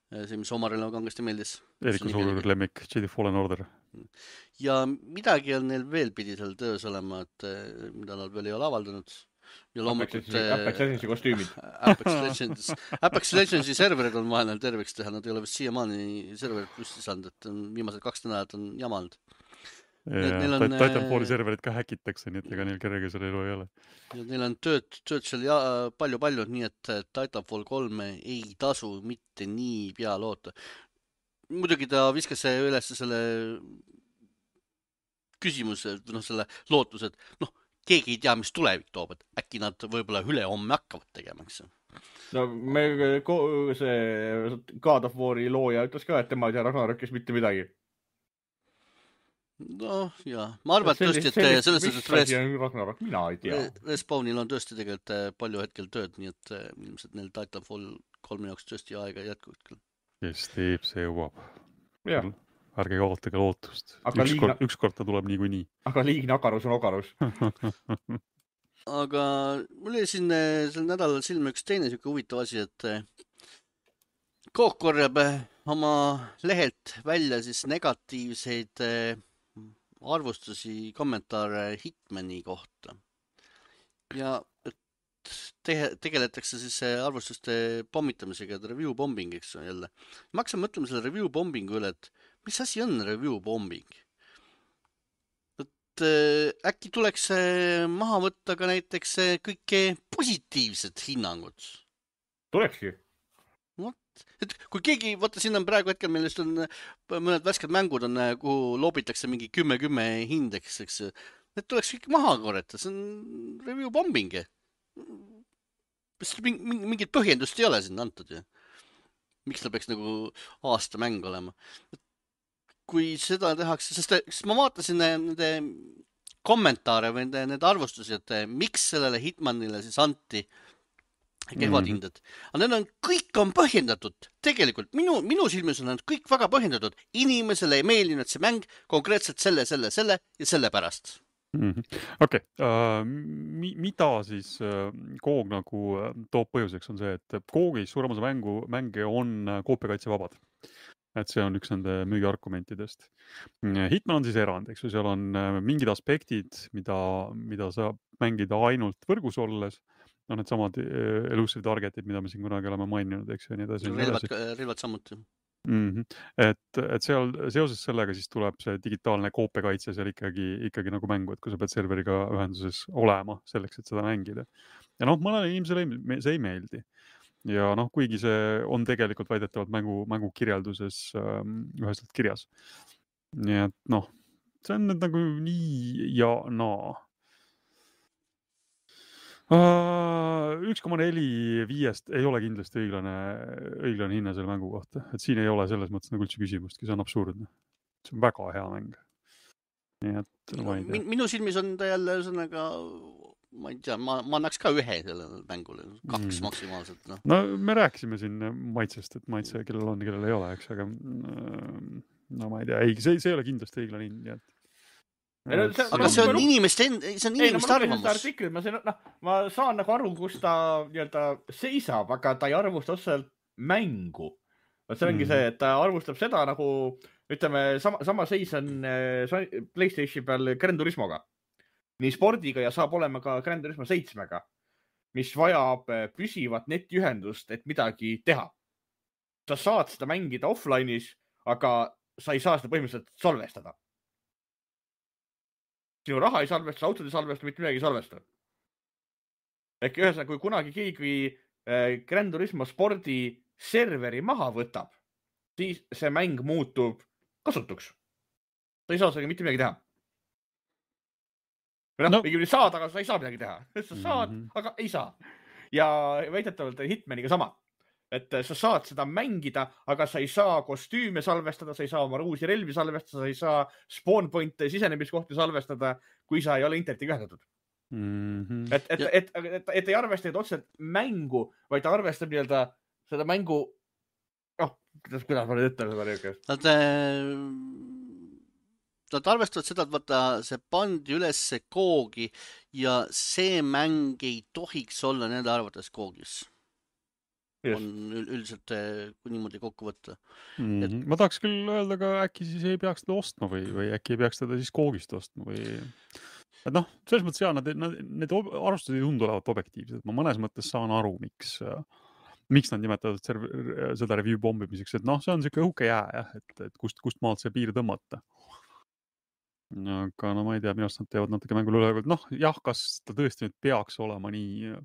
See, mis Omarile kangesti meeldis. Eriku suur lemmik, Jedi Fallen Order. Ja midagi on neil veel pidi seal töös olema, et mida nad veel ei ole avaldanud. Ja loomulikult Apex Legendsi kostüümid. Apex Legends. Apex Legendsi serverid on vaheneil terveks teha, nad ei ole vist siiamaani serverid püsti saanud, et viimased kaks nädalat on jamanud. Ja, on, Titanfalli serverid ka häkitakse, nii et ega neil kerge selle elu ei ole. Ja neil on tööd, tööd seal ja, palju-palju, nii et Titanfall kolm ei tasu mitte nii pea loota. Muidugi ta viskas üles selle küsimuse, noh selle lootus, et noh, keegi ei tea, mis tulevik toob, et äkki nad võib-olla üle homme hakkavad tegema, eks. No me, see God of War'i looja ütles ka, et tema ei tea Ragnarökis mitte midagi. No jah, ma arvan, et tõesti, et selles mis asi on Ragnarök, mina ei tea. Respawnil on tõesti tegelikult palju hetkel tööd, nii et ilmselt neil Titanfall kolme jaoks tõesti aega jätkub küll. Kes teeb, see jõuab. Jah. Ärge kaotage lootust. Ükskord liigna... üks kord ta tuleb niikuinii. Aga liigne agarus on agarus. Aga mul oli siin sel nädalal silme üks teine siuke huvitav asi, et Kook korjab oma lehelt välja siis negatiivseid arvustusi, kommentaare Hitmani kohta. Ja te- tegeletakse siis arvustuste pommitamisega, et review bombing, eks on jälle. Ma hakkasin mõtlema selle review bombingu üle, et mis asi on review bombing? Et äkki tuleks maha võtta ka näiteks kõike positiivsed hinnangud? Tulekski. Et kui keegi, vaata siin on praegu hetkel, meil just on mõned värsked mängud, on, kuhu loobitakse mingi kümme kümme hindeks, eks. Need tuleks kõik maha korjata, see on review bombing. Mingit põhjendust ei ole siin antud. Ja. Miks ta peaks nagu aasta mäng olema? Kui seda tehakse, sest, sest ma vaatasin nende kommentaare või nende, nende arvustusi, et miks sellele Hitmanile siis anti kehvad hinded. Aga need on, kõik on põhjendatud. Tegelikult minu, minu silmis on kõik väga põhjendatud. Inimesele ei meeldinud see mäng konkreetselt selle, selle, selle ja selle pärast. Mm-hmm. Okei, okay. uh, mi, mida siis uh, Koog nagu uh, toob põhjuseks on see, et Koogis suurem osa mängu, mänge on uh, koopiakaitsevabad. Et see on üks nende müügiargumentidest. Hitman on siis erand, eks ju, seal on uh, mingid aspektid, mida, mida saab mängida ainult võrgus olles. No need samad elusive targetid, mida me siin kunagi oleme maininud, eks ju, nii edasi. Relvad, relvad samuti. Mm-hmm. Et, et seal seoses sellega siis tuleb see digitaalne koopiakaitse seal ikkagi, ikkagi nagu mängu, et kui sa pead serveriga ühenduses olema selleks, et seda mängida. Ja noh, mõnele inimesele see ei meeldi. Ja noh, kuigi see on tegelikult väidetavalt mängu, mängu kirjelduses ähm, ühestelt kirjas. Nii et noh, see on nüüd nagu nii ja naa. üks koma neli viiest ei ole kindlasti õiglane, õiglane hinna selle mängu kohta. Et siin ei ole selles mõttes nagu üldse küsimustki, see on absurdne. See on väga hea mäng. Nii et no, ma ei tea. Minu silmis on ta jälle ühesõnaga, ma ei tea, ma, ma annaks ka ühe sellele mängule, kaks mm. maksimaalselt. No. no me rääkisime siin maitsest, et maitse, kellel on, kellel ei ole, eks, aga no ma ei tea, ei, see, see ei ole kindlasti õiglane hind, nii et Ei, no, see, aga see on inimeste, see on inimeste ei, no, arvamus. Artikli, ma, saan, no, ma saan nagu aru, kus ta nii-öelda seisab, aga ta ei arvusta otseselt mängu. See ongi mm. see, et ta arvustab seda nagu, ütleme, sama, sama seis on PlayStation peal Gran Turismoga. Nii spordiga ja saab olema ka Gran Turismo seitsmega, mis vajab püsivat netiühendust, et midagi teha. Sa saad seda mängida offline'is, aga sa ei saa seda põhimõtteliselt salvestada. Sinu raha ei salvesta, autod ei salvesta, mitte midagi ei salvesta. Ehk ühesõnaga, kui kunagi keegi Gran Turismo spordi serveri maha võtab, siis see mäng muutub kasutuks. Sa ei saa sellega mitte midagi teha. Või noh, no. saad, aga sa ei saa midagi teha. Sa saad, mm-hmm. aga ei saa. Ja väidetavalt Hitmaniga sama. Et sa saad seda mängida, aga sa ei saa kostüüme salvestada, sa ei saa oma uusi relvi salvestada, sa ei saa spawn pointe sisenemiskohti salvestada, kui sa ei ole internetiga ühendatud. Mm-hmm. Et, et, et, et, et, et ei arvesta otseselt mängu, vaid ta arvestab nii-öelda seda mängu, noh, kuidas, kuidas ma nüüd ütlen seda niisugust? Nad, nad arvestavad seda, et vaata, see pandi üles koogi ja see mäng ei tohiks olla nende arvates koogis. Just. On üldiselt, kui niimoodi kokku võtta. Mm-hmm. Et... Ma tahaks küll öelda, aga äkki siis ei peaks teda ostma või, või äkki ei peaks teda siis koogist ostma või... Et noh, selles mõttes jah, nad, nad, need arvustused ei tundu olevat objektiivsed. Ma mõnes mõttes saan aru, miks, miks nad nimetavad seda review bombimiseks, et noh, see on siuke õhuke jää, jah, et, et kust, kust maalt see piir tõmmata. Aga no ma ei tea, minu arust nad teevad natuke mängul üle, et noh, jah, kas ta tõesti nüüd peaks olema nii...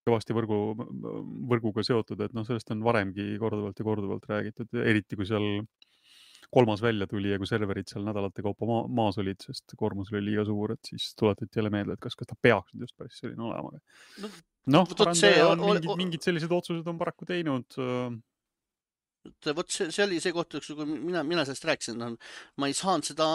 kõvasti võrgu, võrguga seotud, et noh, sellest on varemgi korduvalt ja korduvalt räägitud, eriti kui seal kolmas välja tuli ja kui serverid seal nädalate kaupa ma maas olid, sest koormus oli liiga suur, et siis tuletati jälle meelde, et kas, kas ta peaks nüüd just päris selline olema. Noh, no, arendaja on mingid, mingid sellised otsused on paraku teinud. Vot see, see oli see koht, kui mina, mina sellest rääkisin, no, ma ei saanud seda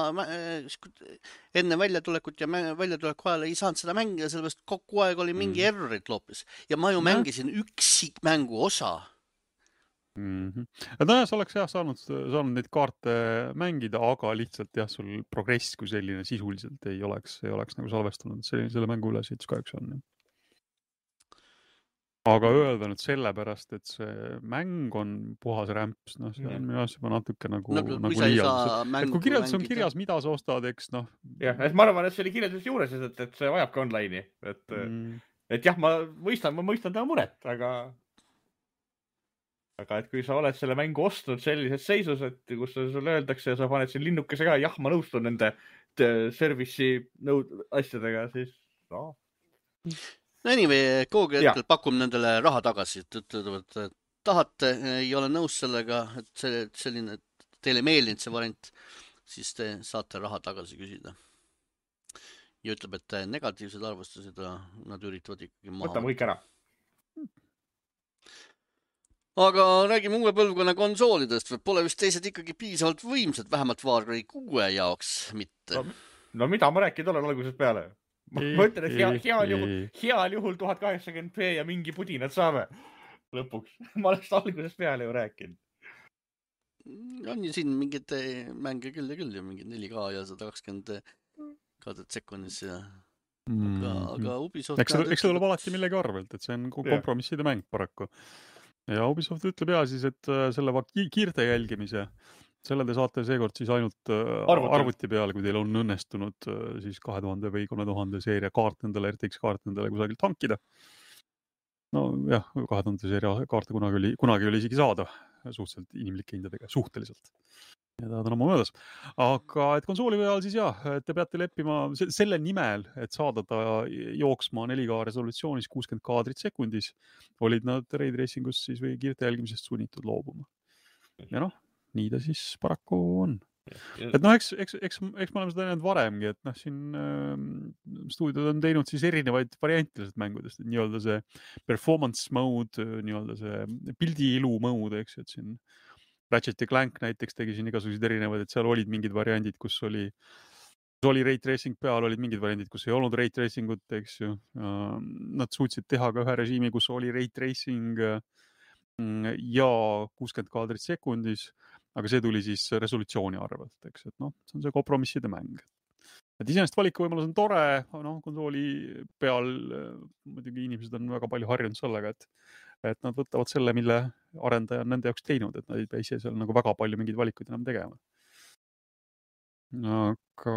enne väljatulekut ja väljatuleku ajal ei saanud seda mängida, sellepärast kogu aeg oli mingi mm. errorit loopis. Ja ma ju mängisin üksik mängu osa. Mm-hmm. Et no jah, sa oleks jah saanud, saanud neid kaarte mängida, aga lihtsalt jah, sul progress kui selline sisuliselt ei oleks, ei oleks nagu salvestunud. Selline, selle mängu ülesehitus kahjuks on. Aga öelda nüüd sellepärast, et see mäng on puhas rämps, noh, see on minu asja natuke nagu, no, nagu liialdus. Kui kirjeldus on kirjas, mida sa ostad, eks noh. Jah, et ma arvan, et see oli kirjeldus juures, et, et see vajab ka online'i. Et, mm. et jah, ma mõistan, ma mõistan ta muret, aga, aga et kui sa oled selle mängu ostnud sellises seisus, et kus sulle öeldakse ja sa paned siin linnukese ka, jah, ma nõustun nende service'i nõud asjadega, siis no. No anyway, Koogi hetkel pakum nendele raha tagasi, et ütlevad, et tahate, ei ole nõus sellega, et see, selline, teile meeldinud see variant, siis te saate raha tagasi küsida. Ja ütleb, et negatiivsed arvustused nad üritavad ikkagi maha. Võtame kõik ära. Aga räägime uue põlvkonna konsoolidest, või pole vist teised ikkagi piisavalt võimsad, vähemalt Far Cry kuue jaoks mitte. No, no mida ma rääkinud olen algusest peale? Ma mõtlen, et hea, heal juhul, heal juhul tuhat kaheksakümmend p ja mingi pudinad saame lõpuks. Ma oleks algusest peale ju rääkinud. On ju siin mingid mänge küll ja küll ja mingid neli K ja sada kakskümmend kaadrit sekunnis. Ja... Mm. Aga, aga Ubisoft... Eks see, eks see tuleb alati millegi arvelt, et see on kompromisside mäng paraku. Ja Ubisoft ütleb ja siis, et selle kiirte jälgimise selle te saate seekord siis ainult arvuti, arvuti peale, kui teil on õnnestunud siis kahe tuhande või kolme tuhande seeria kaart nendele, R T X kaart nendele kusagilt hankida. No jah, kahe tuhande seeria kaarte kunagi oli, kunagi oli isegi saada suhteliselt inimlike hindadega, suhteliselt. Ja ta on oma möödas. Aga et konsooli peal siis jah, te peate leppima selle nimel, et saada ta jooksma neli K resolutsioonis kuuskümmend kaadrit sekundis, olid nad Ray Tracingus siis või kiirte jälgimisest sunnitud loobuma. Ja noh, nii ta siis paraku on. et noh, eks, eks, eks, eks me oleme seda näinud varemgi, et noh, siin äh, stuudiod on teinud siis erinevaid variante lihtsalt mängudest, et nii-öelda see performance mode, nii-öelda see pildiilu mode, eks, et siin Ratchet ja Clank näiteks tegi siin igasuguseid erinevaid, et seal olid mingid variandid, kus oli, kus oli ray tracing peal, olid mingid variandid, kus ei olnud ray tracing ut, eks ju. Nad suutsid teha ka ühe režiimi, kus oli ray tracing ja kuuskümmend kaadrit sekundis, aga see tuli siis resolutsiooni arvelt, eks, et noh, see on see kompromisside mäng. Et iseenesest valikuvõimalus on tore, noh, konsooli peal muidugi inimesed on väga palju harjunud sellega, et, et nad võtavad selle, mille arendaja on nende jaoks teinud, et nad ei pea ise seal nagu väga palju mingeid valikuid enam tegema. Aga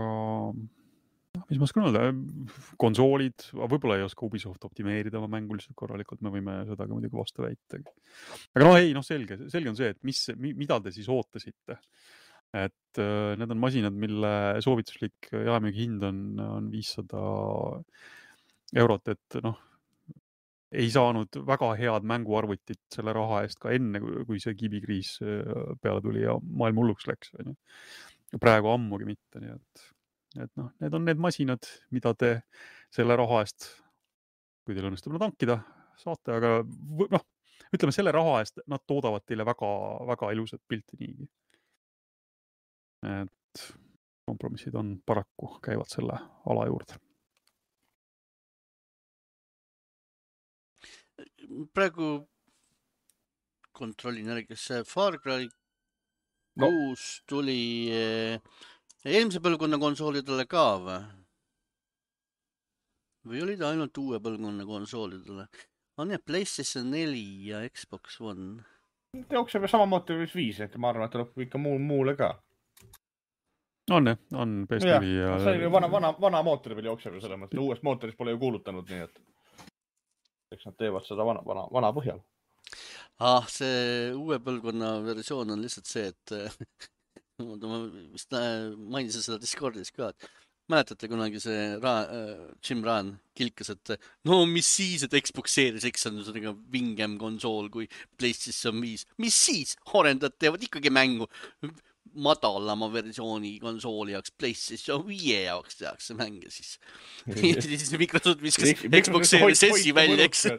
mis ma oskan öelda, konsoolid, võib-olla ei oska Ubisoft optimeerida oma mängu lihtsalt korralikult, me võime seda ka muidugi vastu väita. Aga noh, ei, noh, selge, selge on see, et mis, mida te siis ootasite. Et äh, need on masinad, mille soovituslik jaemüügi hind on, on viissada eurot, et noh, ei saanud väga head mänguarvutit selle raha eest ka enne, kui see kibikriis peale tuli ja maailm hulluks läks. Praegu ammugi mitte, nii et et noh, need on need masinad, mida te selle raha eest, kui teil õnnestub nad hankida, saate, aga noh, ütleme selle raha eest, nad toodavad teile väga, väga ilusat pilti niigi. Et kompromissid on paraku, käivad selle ala juurde. Praegu kontrollin järgi, kas see Far Cry kuus no. tuli eelmise põlvkonna konsoolidele ka või? Või oli ta ainult uue põlvkonna konsoolidele? On jah, PlayStation neli ja Xbox One. Jookseb samamoodi viis, et ma arvan, et tuleb ikka muu, muule ka. On jah, on P S neli ja... See oli vana, vana, vana mootori peal jookseb ju selles mõttes. Uuest mootorist pole ju kuulutanud, nii et eks nad teevad seda vana, vana, vana põhjal. Ah, see uue põlvkonna versioon on lihtsalt see, et ma vist mainisin seda Discordis ka, et mäletate kunagi see Ra-, Jim Raan kilkas, et no mis siis, et Xbox Series X on sellega vingem konsool kui PlayStation viis. Mis siis? Arendajad teevad ikkagi mängu madalama versiooni konsooli jaoks, PlayStation viie jaoks tehakse mänge siis. siis Microsoft viskas Xbox Series S-i välja, eks.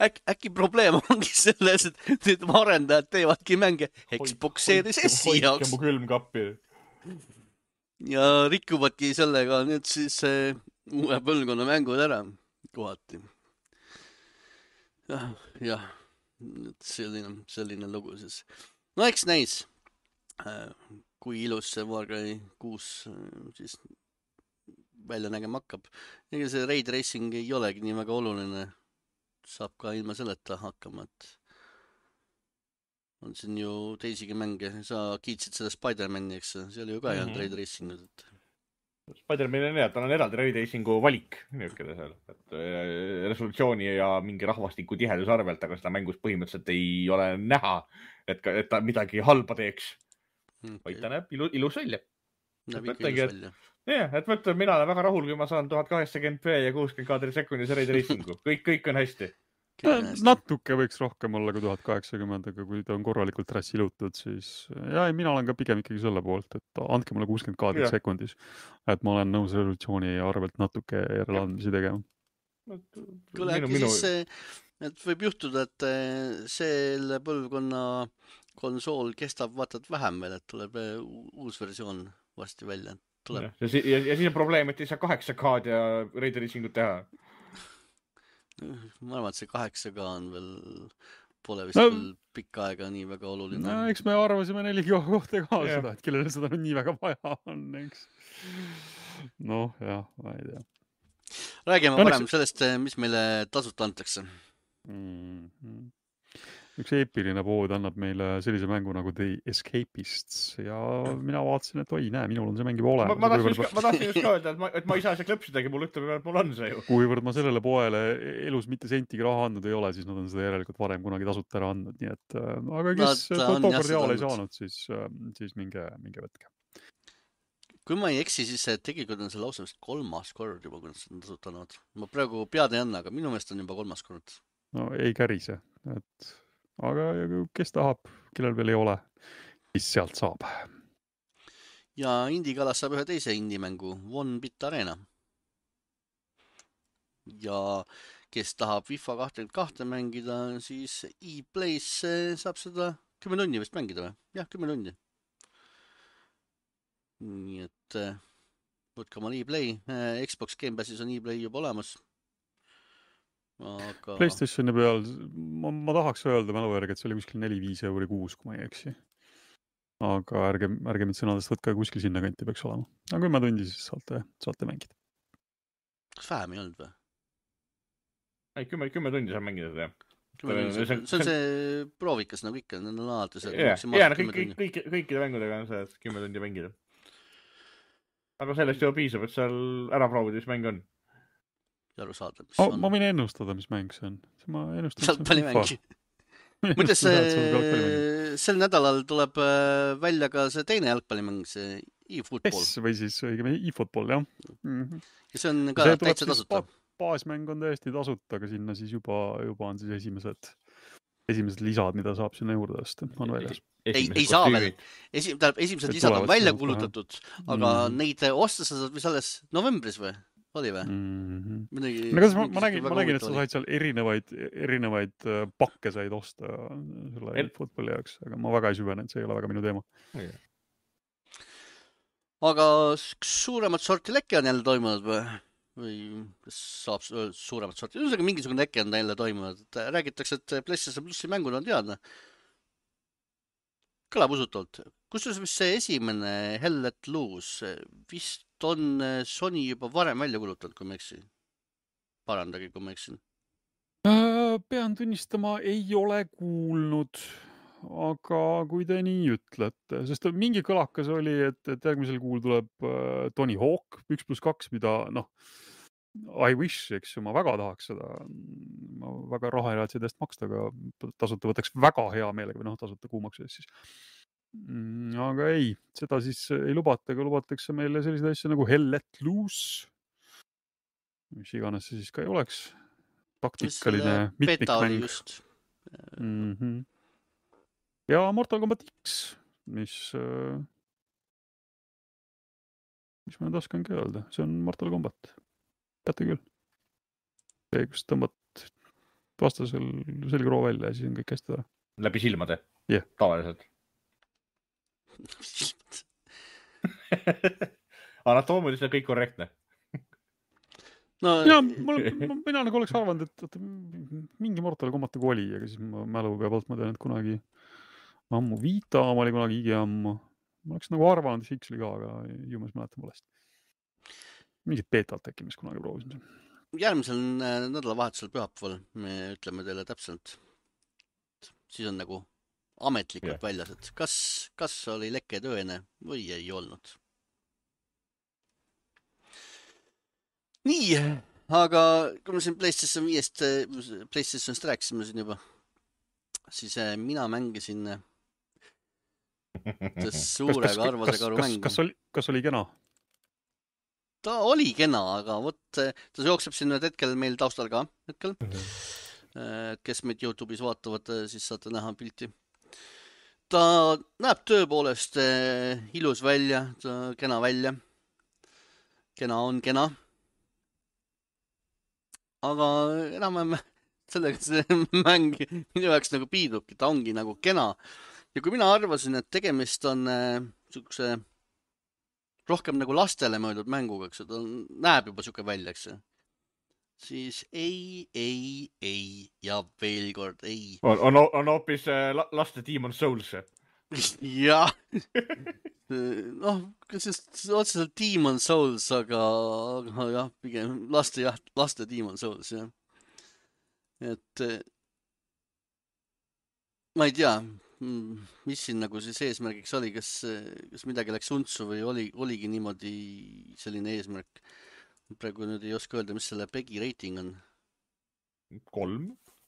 Äk, äkki probleem ongi selles, et need arendajad teevadki mänge Xbox Series S-i jaoks. Hoidke mu külmkappi. Ja rikkuvadki sellega nüüd siis äh, uue põlvkonna mängud ära kohati. jah, jah, selline, selline lugu siis. No eks näis, kui ilus see Far Cry kuus siis välja nägema hakkab. Ega see Ray Tracing ei olegi nii väga oluline. Saab ka ilma selleta hakkama, et on siin ju teisigi mänge. Sa kiitsid seda Spider-Mani, eks see oli ju ka mm-hmm. Ray Tracingut. Et... Spider-Mani on jah, tal on eraldi Ray Tracingu valik niisugune seal, et resolutsiooni ja mingi rahvastiku tihedus arvelt, aga seda mängus põhimõtteliselt ei ole näha, et, ka, et ta midagi halba teeks. Okay. Vaid ta näeb ilu, ilus välja. Näeb ikka ilus välja. Jah, et mõtlen, mina olen väga rahul, kui ma saan tuhat kaheksakümmend p ja kuuskümmend kaadrit sekundis Ray Tracingu. Kõik, kõik on hästi. Natuke võiks rohkem olla kui tuhat kaheksakümmend, aga kui ta on korralikult trassilutud, siis ja, mina olen ka pigem ikkagi selle poolt, et andke mulle kuuskümmend kaadrit sekundis, et ma olen nõus resolutsiooni arvelt natuke järeleandmisi tegema. Kuule, äkki minu... siis, et võib juhtuda, et selle põlvkonna konsool kestab vaatad vähem veel, et tuleb uus versioon varsti välja. Ja, ja, ja, ja siis on probleem, et ei saa kaheksa K-d ja Ray Tracingut teha. Ma arvan, et see kaheksa K on veel, pole vist no, veel pikka aega nii väga oluline. No, eks me arvasime neli K kohta ka yeah. seda, et kellele seda on nii väga vaja on, eks. Noh, jah, ma ei tea. Räägime no, parem sellest, mis meile tasuta antakse. Mm-hmm. Üks eepiline pood annab meile sellise mängu nagu The Escapists ja mina vaatasin, et oi, näe, minul on see mäng juba olemas. Ma, ma, tahtsin, just, ma tahtsin just ka öelda, et ma, et ma ei saa see klõpsidagi, mul ütleb, et mul on see ju. Kuivõrd ma sellele poele elus mitte sentigi raha andnud ei ole, siis nad on seda järelikult varem kunagi tasuta ära andnud. Nii et, aga kes tookord jaal ei saanud, siis, siis minge, minge võtke. Kui ma ei eksi, siis tegelikult on see lausa vist kolmas kord juba, kui nad seda tasuta annavad. Ma praegu pead ei anna, aga minu meelest on juba kolmas kord. No ei kärise, et... Aga kes tahab, kellel veel ei ole, siis sealt saab. ja Indie-kalas saab ühe teise indie-mängu One Bit Arena. Ja kes tahab FIFA kakskümmend kaks mängida, siis E-Plays saab seda kümme tunni vist mängida või? Jah, kümme tunni. Nii et võtke omal E-Play. Xbox Game Passis on E-Play juba olemas. Aga... PlayStationi peal, ma, ma tahaks öelda mälu järgi, et see oli kuskil neli viis euri kuus, kui ma ei eksi. Aga ärge, ärge mind sõnadest võtka, kuskil sinna kanti peaks olema. Aga kümme tundi siis saate, saate mängida. Kas vähem ei olnud või? Ei, kümme, kümme tundi saab mängida seda. See, see on see proovikas nagu ikka, need on alati see. Jaa, jaa, kõik, kõik, kõik, kõikide mängudega on see, et kümme tundi mängida. Aga sellest juba piisab, et seal ära proovida, mis mäng on. Aru saada, mis oh, on. Ma võin ennustada, mis mäng see on. Ma ennustan, Jalgpallimängi. Mõttes sel nädalal tuleb välja ka see teine jalgpallimäng, see e-football. PES või siis õigem e-football, jah. Mm-hmm. Ja see on ka see täitsa tasuta. Baasmäng on täiesti tasuta, aga sinna siis juba, juba on siis esimesed, esimesed lisad, mida saab sinna juurde tõsta. On väljas. Ei, ei saa veel. Esim, tähendab, esimesed lisad on välja kuulutatud, aga mm. neid osta sa saad vist alles novembris või? Oli või? Mm-hmm. Midagi, no, ma, ma nägin, ma nägin, et sa said seal erinevaid, erinevaid pakke said osta selle El... footballi jaoks, aga ma väga ei süvenenud, see ei ole väga minu teema. Yeah. Aga suuremat sorti lekke on jälle toimunud või? Või kas saab suuremat sorti? Üldse mingisugune lekke on jälle toimunud. Räägitakse, et PlayStation Plusi mängud on teadne. Kõlab usutult. Kusjuures vist see esimene Hell Let Loose vist on Sony juba varem välja kulutanud, kui ma eksin. Parandagi, kui ma eksin. Pean tunnistama, ei ole kuulnud, aga kui te nii ütlete, sest mingi kõlakas oli, et, et järgmisel kuul tuleb Tony Hawk üks pluss kaks, mida, noh, I wish, eks ju, ma väga tahaks seda, ma väga raha ei raatsi edest maksta, aga tasuta võtaks väga hea meelega, või noh, tasuta kuumaksu eest siis. Aga ei, seda siis ei lubata, aga lubatakse meile selliseid asju nagu Hell Let Loose, mis iganes see siis ka ei oleks, taktikaline mitmikmäng. Mm-hmm. Ja Mortal Kombat X, mis, mis ma nüüd oskangi öelda, see on Mortal Kombat. Teate küll. See, kus tõmbad vastasel selgroo välja ja siis on kõik hästi ära. Läbi silmade? Jah. Yeah. Tavaliselt. Anatoomiliselt kõik korrektne. No, ja, mul, mina nagu oleks arvanud, et, et mingi Mortal Kombat nagu oli, aga siis ma mälu pealt ma tean, et kunagi ammu Vita ma oli kunagi igi ammu. Ma oleks nagu arvanud, et X oli ka, aga ju ma siis mäletan valesti. Mingid beetalt äkki, mis kunagi proovisime. Järgmisel nädalavahetusel pühapäeval me ütleme teile täpselt. Siis on nagu ametlikult yeah. väljas, et kas, kas oli leke tõene või ei olnud. Nii, aga kui me siin PlayStation viiest, PlayStationist rääkisime siin juba, siis mina mängisin suure karvase karu mängu. Kas oli, kas oli kena? Ta oli kena, aga võt, ta jookseb siin nüüd hetkel meil taustal ka hetkel. Mm-hmm. Kes meid YouTube'is vaatavad, siis saate näha pilti. Ta näeb tõepoolest ilus välja, ta kena välja. Kena on kena. Aga enam sellega see mäng minu jaoks nagu piidubki, ta ongi nagu kena. Ja kui mina arvasin, et tegemist on niisuguse rohkem nagu lastele mõeldud mänguga, eks ta näeb juba siuke välja, eks siis ei, ei, ei ja veel kord ei. On, on, on hoopis laste Demon Souls. Jah. noh, siis otseselt Demon Souls, aga, aga jah, pigem laste, jah, laste Demon Souls, jah. Et ma ei tea, mis siin nagu siis eesmärgiks oli, kas, kas midagi läks untsu või oli, oligi niimoodi selline eesmärk. Praegu nüüd ei oska öelda, mis selle Pegi rating on. Kolm?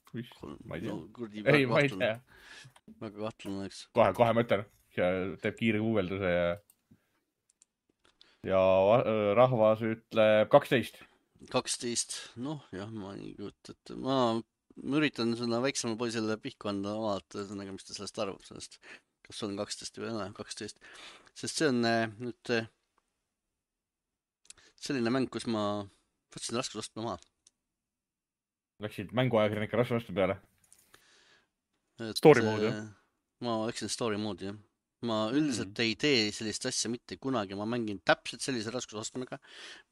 Kolm. Ma ei tea. No, kurdi, ei, ma ei tea. Väga kahtlane, eks. Kohe, kohe mõtlen. Ja teeb kiire guugelduse ja, ja rahvas ütleb kaksteist. kaksteist. Noh, jah, ma ei kujuta, et ma... Ma üritan seda väiksemal poisele pihku anda vaata, mis ta sellest arvab sellest kas on kaksteist või ei ole, kaksteist. Sest see on nüüd selline mäng, kus ma võtsin raskusastme maha. Läksid mänguajakirjanike raskusastme peale? Et, Story mode, jah? Ma läksin story mode, jah. Ma üldiselt mm. ei tee sellist asja mitte kunagi. Ma mängin täpselt sellise raskusastmega,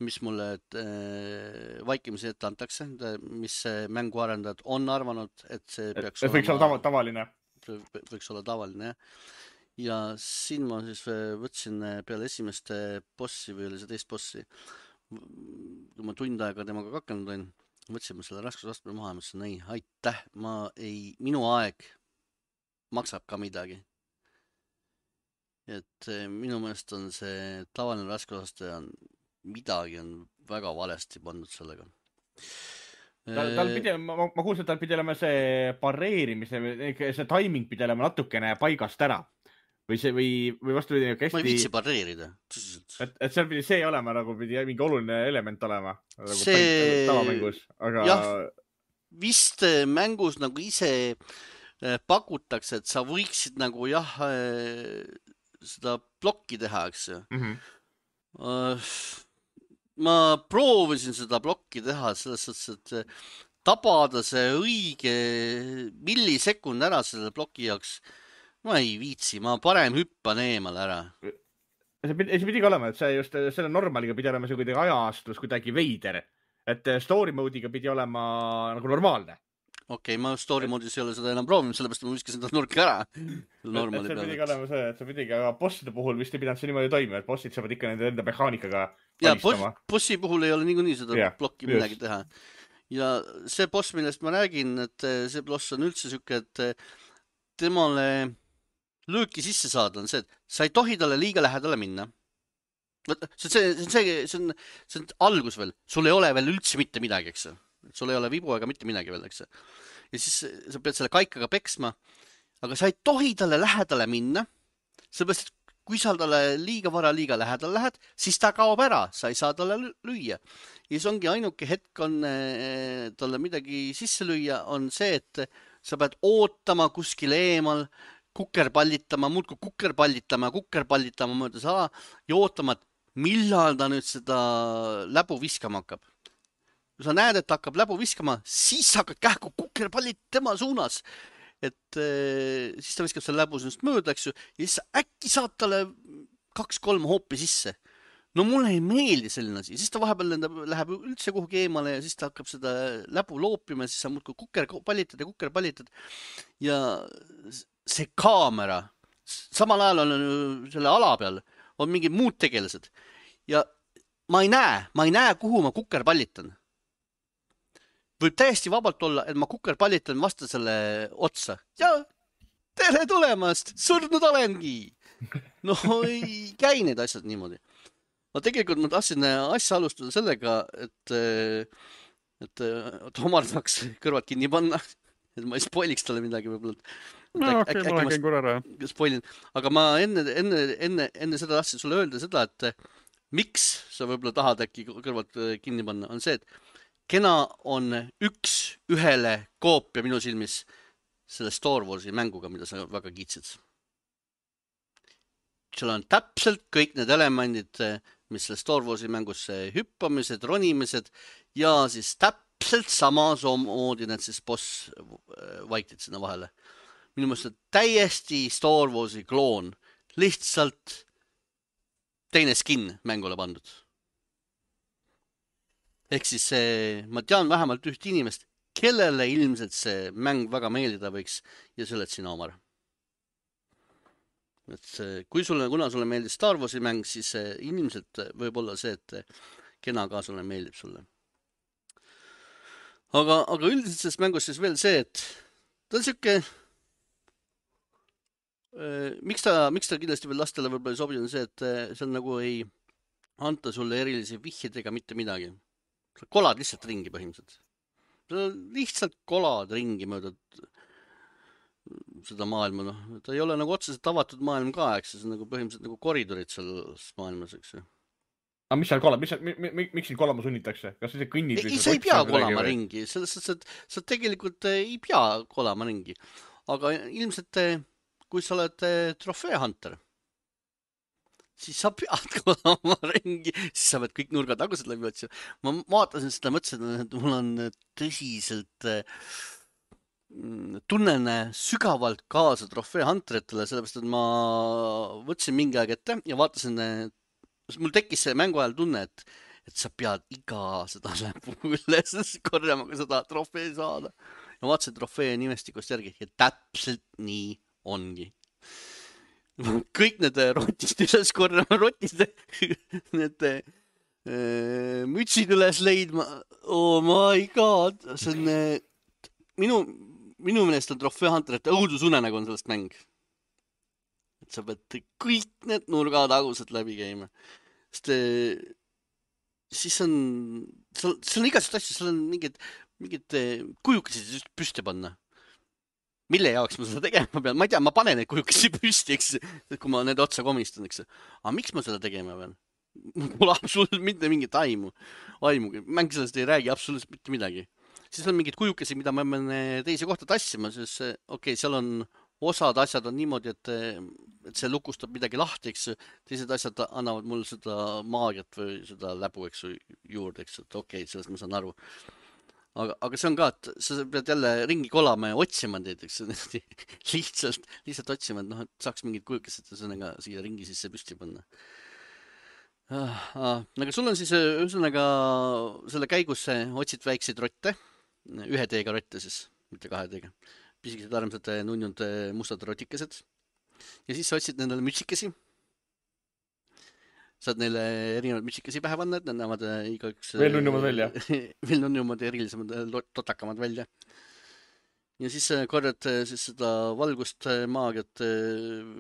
mis mulle äh, vaikimise ette antakse, mis mänguarendajad on arvanud, et see peaks et, et võiks olema tavaline. Võiks olla tavaline, jah. Ja siin ma siis võtsin peale esimeste bossi või oli see teist bossi. Kui ma tund aega temaga kakanud olin, võtsin ma selle raskusastme maha ja mõtlesin, ei, aitäh, ma ei, minu aeg maksab ka midagi. Et minu meelest on see tavaline raskusaste on midagi on väga valesti pandud sellega. Tal, tal pidi, ma, ma kuulsin, et tal pidi olema see pareerimise, see timing pidi olema natukene paigast ära. Või see, või, või vastu pidi hästi... Ma ei viitsi pareerida. Et, et seal pidi see olema, nagu pidi mingi oluline element olema. Nagu see... Tavamängus, aga... Jah, vist mängus nagu ise pakutakse, et sa võiksid nagu jah, seda plokki teha, eks ju. Mm-hmm. Ma proovisin seda plokki teha selles suhtes, et tabada see õige millisekund ära selle ploki jaoks. Ma ei viitsi, ma parem hüppan eemal ära. See pidi, see pidi ka olema, et see just selle normaliga pidi olema see kuidagi ajaastus kuidagi veider. Et story mode'iga pidi olema nagu normaalne. Okei, okay, ma story mode'is ei ole seda enam proovinud, sellepärast ma viskasin ta nurka ära. Et see pidi ka olema see, et see pidi ka bosside puhul vist ei pidanud see niimoodi toimima, et bossid saavad ikka nende enda mehaanikaga valistama. Ja, bossi puhul ei ole niikuinii seda yeah, plokki midagi just. Teha. Ja see boss, millest ma räägin, et see boss on üldse süke, et temale lööki sisse saada on see, et sa ei tohi talle liiga lähedale minna. See, see, see, see, see, on, see on algus veel. Sul ei ole veel üldse mitte midagi, eks. Sul ei ole vibu ega mitte midagi veel, eks. Ja siis sa pead selle kaikaga peksma, aga sa ei tohi talle lähedale minna, sellepärast, et kui sa talle liiga vara liiga lähedale lähed, siis ta kaob ära, sa ei saa talle lüüa. Ja siis ongi ainuke hetk on talle midagi sisse lüüa, on see, et sa pead ootama kuskil eemal, kukerpallitama, muudku kukerpallitama, kukerpallitama mööda saa ja ootama, et millal ta nüüd seda läbu viskama hakkab. Kui sa näed, et ta hakkab läbu viskama, siis hakkad kähku kukerpallit tema suunas. Et e, siis ta viskab selle läbu sinust mööda, eks ju, ja siis äkki saab talle kaks-kolm hoopi sisse. No mulle ei meeldi selline asi. Siis ta vahepeal läheb üldse kuhugi eemale ja siis ta hakkab seda läbu loopima ja siis sa muudku kukerpallitad ja kukerpallitad. Ja see kaamera, samal ajal on selle ala peal, on mingid muud tegelased. Ja ma ei näe, ma ei näe, kuhu ma kukerpallitan. Võib täiesti vabalt olla, et ma kukerpallitan vasta selle otsa. Ja tere tulemast, surnud olengi. No ei käi need asjad niimoodi. No tegelikult ma tahtsin asja alustada sellega, et, et, et Omar tahaks kõrvad kinni panna. Et ma ei spoiliks talle midagi võib-olla. No okei, okay, ma lähen korra ära. Spoilin. Aga ma enne, enne, enne, enne seda tahtsin sulle öelda seda, et miks sa võib-olla tahad äkki kõrvad kinni panna, on see, et kena on üks ühele koopia minu silmis selle Star Warsi mänguga, mida sa väga kiitsid. Seal on täpselt kõik need elemendid, mis selle Star Warsi mängus hüppamised, ronimised ja siis täpselt sama moodi need siis boss vaiktid sinna vahele. Minu mõttes täiesti Star Warsi kloon, lihtsalt teine skin mängule pandud. Ehk siis see, ma tean vähemalt üht inimest, kellele ilmselt see mäng väga meeldida võiks ja see oled sina, Omar. Et see, kui sulle, kuna sulle meeldib Star Warsi mäng, siis ilmselt võib olla see, et kena ka sulle meeldib sulle. Aga, aga üldiselt selles mängus siis veel see, et ta on siuke Miks ta, miks ta kindlasti veel lastele võib-olla ei sobi, on see, et seal nagu ei anta sulle erilisi vihjeid ega mitte midagi. Sa kolad lihtsalt ringi põhimõtteliselt. Sa lihtsalt kolad ringi mööda seda maailma. No. Ta ei ole nagu otseselt avatud maailm ka, eks see on nagu põhimõtteliselt nagu koridorid selles maailmas, eks. Aga mis seal kolab? Mis, mi, mi, miks sind kolama sunnitakse? Kas see kõnnid? Ei, sa ei pea kolama või? Ringi. Selles, sa, sa tegelikult ei pea kolama ringi. Aga ilmselt kui sa oled trofee hunter, siis sa pead kodama ringi, siis sa pead kõik nurgatagused läbi otsima. Ma vaatasin seda, mõtlesin, et mul on tõsiselt tunnen sügavalt kaasa trofee hunteritele, sellepärast, et ma võtsin mingi aeg ette ja vaatasin, mul tekkis see mängu ajal tunne, et et sa pead iga seda läbu üles korjama, kui sa tahad trofee saada. Ja vaatasin trofee nimestikust järgi ja täpselt nii ongi. Kõik need rotist üles korjama, rotist need äh, mütsid üles leidma. Oh my god, see on äh, minu, minu meelest on trofee hunterite õudusunenägu on sellest mäng. Et sa pead kõik need nurgatagused läbi käima. Sest äh, siis on, seal, seal on igasugust asju, seal on mingid, mingid kujukesed püsti panna. Mille jaoks ma seda tegema pean? Ma ei tea, ma panen neid kujukesi püsti, eks, kui ma need otsa komistan, eks. Aga miks ma seda tegema pean? Mul absoluutselt mitte mingit aimu. aimu. Mäng sellest ei räägi absoluutselt mitte midagi. Siis on mingid kujukesi, mida ma pean teise kohta tassima, sest okei, okay, seal on osad asjad on niimoodi, et, et see lukustab midagi lahti, eks. Teised asjad annavad mul seda maagiat või seda läbu, eks, juurde, eks. Et okei, okay, sellest ma saan aru. Aga, aga see on ka, et sa pead jälle ringi kolama ja otsima neid, eks. Lihtsalt, lihtsalt otsima, et noh, et saaks mingid kujukesed sõnaga siia ringi sisse püsti panna. Ah, ah. Aga sul on siis ühesõnaga selle käigus otsid väikseid rotte, ühe teega rotte siis, mitte kahe teega. Pisikesed armsad nunjunud mustad rotikesed. Ja siis sa otsid nendele mütsikesi. Saad neile erinevad mütsikesi pähe panna, et need näevad igaüks... Veel nunjumad välja. Veel nunjumad ja erilisemad totakamad välja. Ja siis korjad siis seda valgust, maagiat,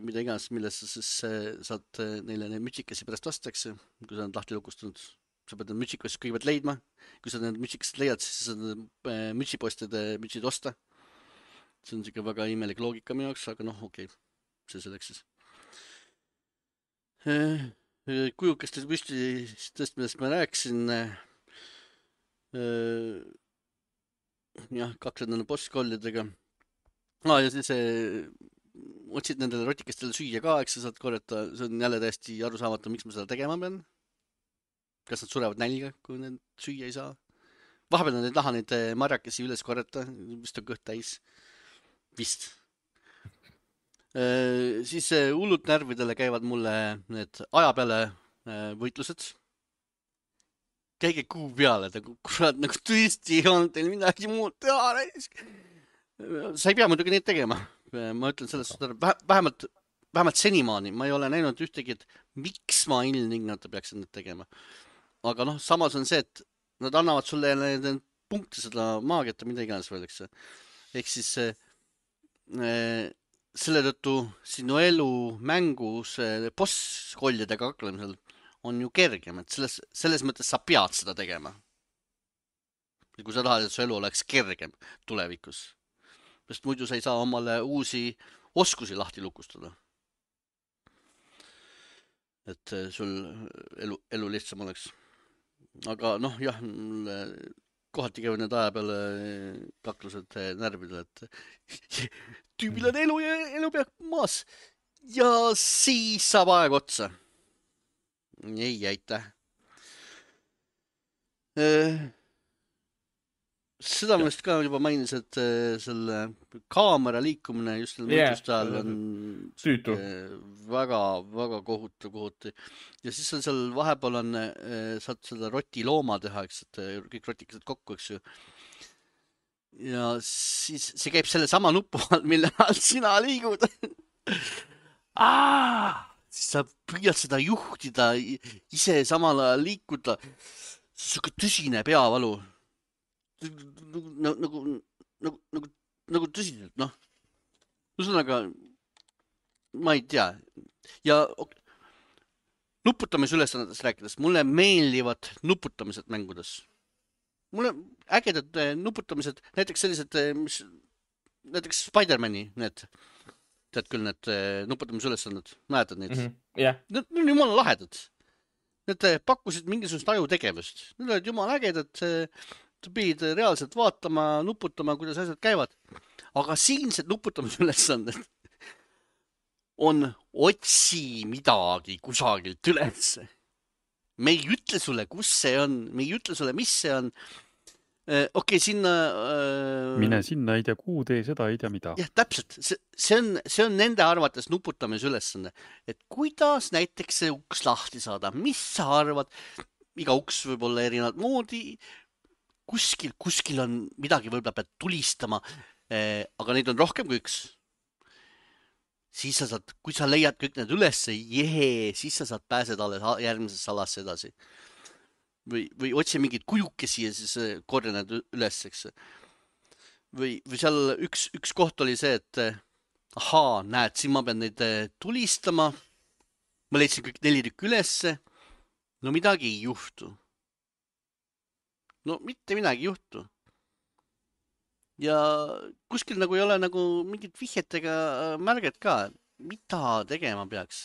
mida iganes, millesse siis saad neile neid mütsikesi pärast vastaks, kui sa need lahti lukustunud. Sa pead need mütsikesed kõigepealt leidma. Kui sa need mütsikesed leiad, siis saad mütsipostide mütsid osta. See on siuke väga imelik loogika minu jaoks, aga noh, okei, okay. See selleks siis. Kujukeste püsti tõest, millest ma rääksin. Jah, kakled nende bosskollidega. Ah, ja siis otsid nendele rotikestele süüa ka, eks sa saad korjata. See on jälle täiesti arusaamatu, miks ma seda tegema pean. Kas nad surevad nälga, kui need süüa ei saa? Vahepeal nad ei taha neid marjakesi üles korjata, vist on kõht täis. Vist. E, siis hullult närvidele käivad mulle need aja peale võitlused. Käige kuu peale, kurat, nagu tõesti ei olnud teil midagi muud teha. Sa ei pea muidugi neid tegema. Ma ütlen selles, vähemalt, vähemalt senimaani ma ei ole näinud ühtegi, et miks ma ilmtingimata peaksin neid tegema. Aga noh, samas on see, et nad annavad sulle need punkti seda maagiat ja mida iganes veel, eks. Ehk siis selle tõttu sinu elu mängus boss-kollidega kaklemisel on ju kergem, et selles, selles mõttes sa pead seda tegema. Kui sa tahad, et su elu oleks kergem tulevikus. Sest muidu sa ei saa omale uusi oskusi lahti lukustada. Et sul elu, elu lihtsam oleks. Aga noh, jah, kohati käivad need aja peale kaklused närvidele, et tüübil on elu ja elu peab maas. Ja siis saab aeg otsa. Ei, aitäh. Seda mõist ka juba mainis, et selle kaamera liikumine just selle mõtluste ajal on süütu. Väga, väga kohutu, kohutu. Ja siis on seal vahepeal on, saad seda roti looma teha, eks, et kõik rotikesed kokku, eks ju. Ja siis see käib selle sama nupu all, mille all sina liigud. Aa! Siis sa püüad seda juhtida, ise samal ajal liikuda. See on siuke tõsine peavalu. Nagu, nagu, nagu, nagu, nagu tõsiselt, noh. Ühesõnaga, ma ei tea. Ja nuputamisülesannetest rääkides, mulle meeldivad nuputamised mängudes. Mulle ägedad nuputamised, näiteks sellised, mis, näiteks Spider-Mani, need, tead küll, need nuputamisülesanned, mäletad neid? Mm-hmm. Yeah. Need on jumala lahedad. Need pakkusid mingisugust ajutegevust. Need olid jumala ägedad, sa pidid reaalselt vaatama, nuputama, kuidas asjad käivad. Aga siinsed nuputamisülesanded on otsi midagi kusagilt üles. Me ei ütle sulle, kus see on, me ei ütle sulle, mis see on. Okei, okay, sinna... Äh... Mine sinna, ei tea kuu, tee seda, ei tea mida. Jah, täpselt. See, see, on, see on nende arvates nuputamise ülesanne. Et kuidas näiteks see uks lahti saada? Mis sa arvad? Iga uks võib olla erinevat moodi. Kuskil, kuskil on midagi, võib-olla pead tulistama. Aga neid on rohkem kui üks. Siis sa saad, kui sa leiad kõik need üles, jehee, siis sa saad pääseda alles järgmises salasse edasi. Või, või otsi mingid kujukesi ja siis korja need üles, eks. Või, või seal üks, üks koht oli see, et ahaa, näed, siin ma pean neid tulistama. Ma leidsin kõik neli tükki ülesse. No midagi ei juhtu. No mitte midagi ei juhtu. Ja kuskil nagu ei ole nagu mingit vihjet ega märget ka. Mida tegema peaks?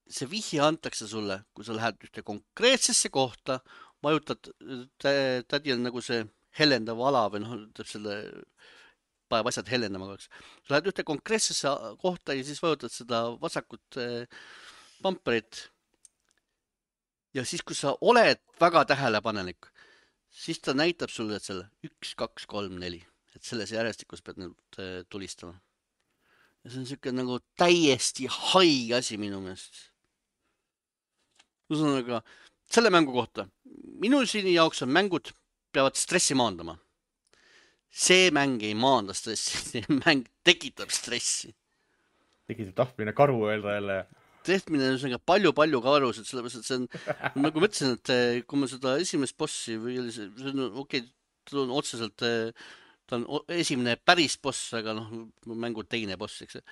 See vihje antakse sulle, kui sa lähed ühte konkreetsesse kohta, vajutad, tädi on nagu see helendav ala või noh, teeb selle, paneb asjad helendama kaks. Sa lähed ühte konkreetsesse kohta ja siis vajutad seda vasakut pamperit. Ja siis, kui sa oled väga tähelepanelik, siis ta näitab sulle, et selle üks, kaks, kolm, neli. Et selles järjestikus pead nüüd tulistama. Ja see on siuke nagu täiesti haig asi minu meelest. Ühesõnaga, selle mängu kohta. Minu siin jaoks on mängud peavad stressi maandama. See mäng ei maanda stressi. See mäng tekitab stressi. Tekitab tahtmine karu öelda jälle. Tehtmine on palju-palju karusid, sellepärast, et see on, nagu ma ütlesin, et kui ma seda esimest bossi või oli see, see on okei, okay, ta on otseselt, ta on esimene päris boss, aga noh, mängu teine boss, eks.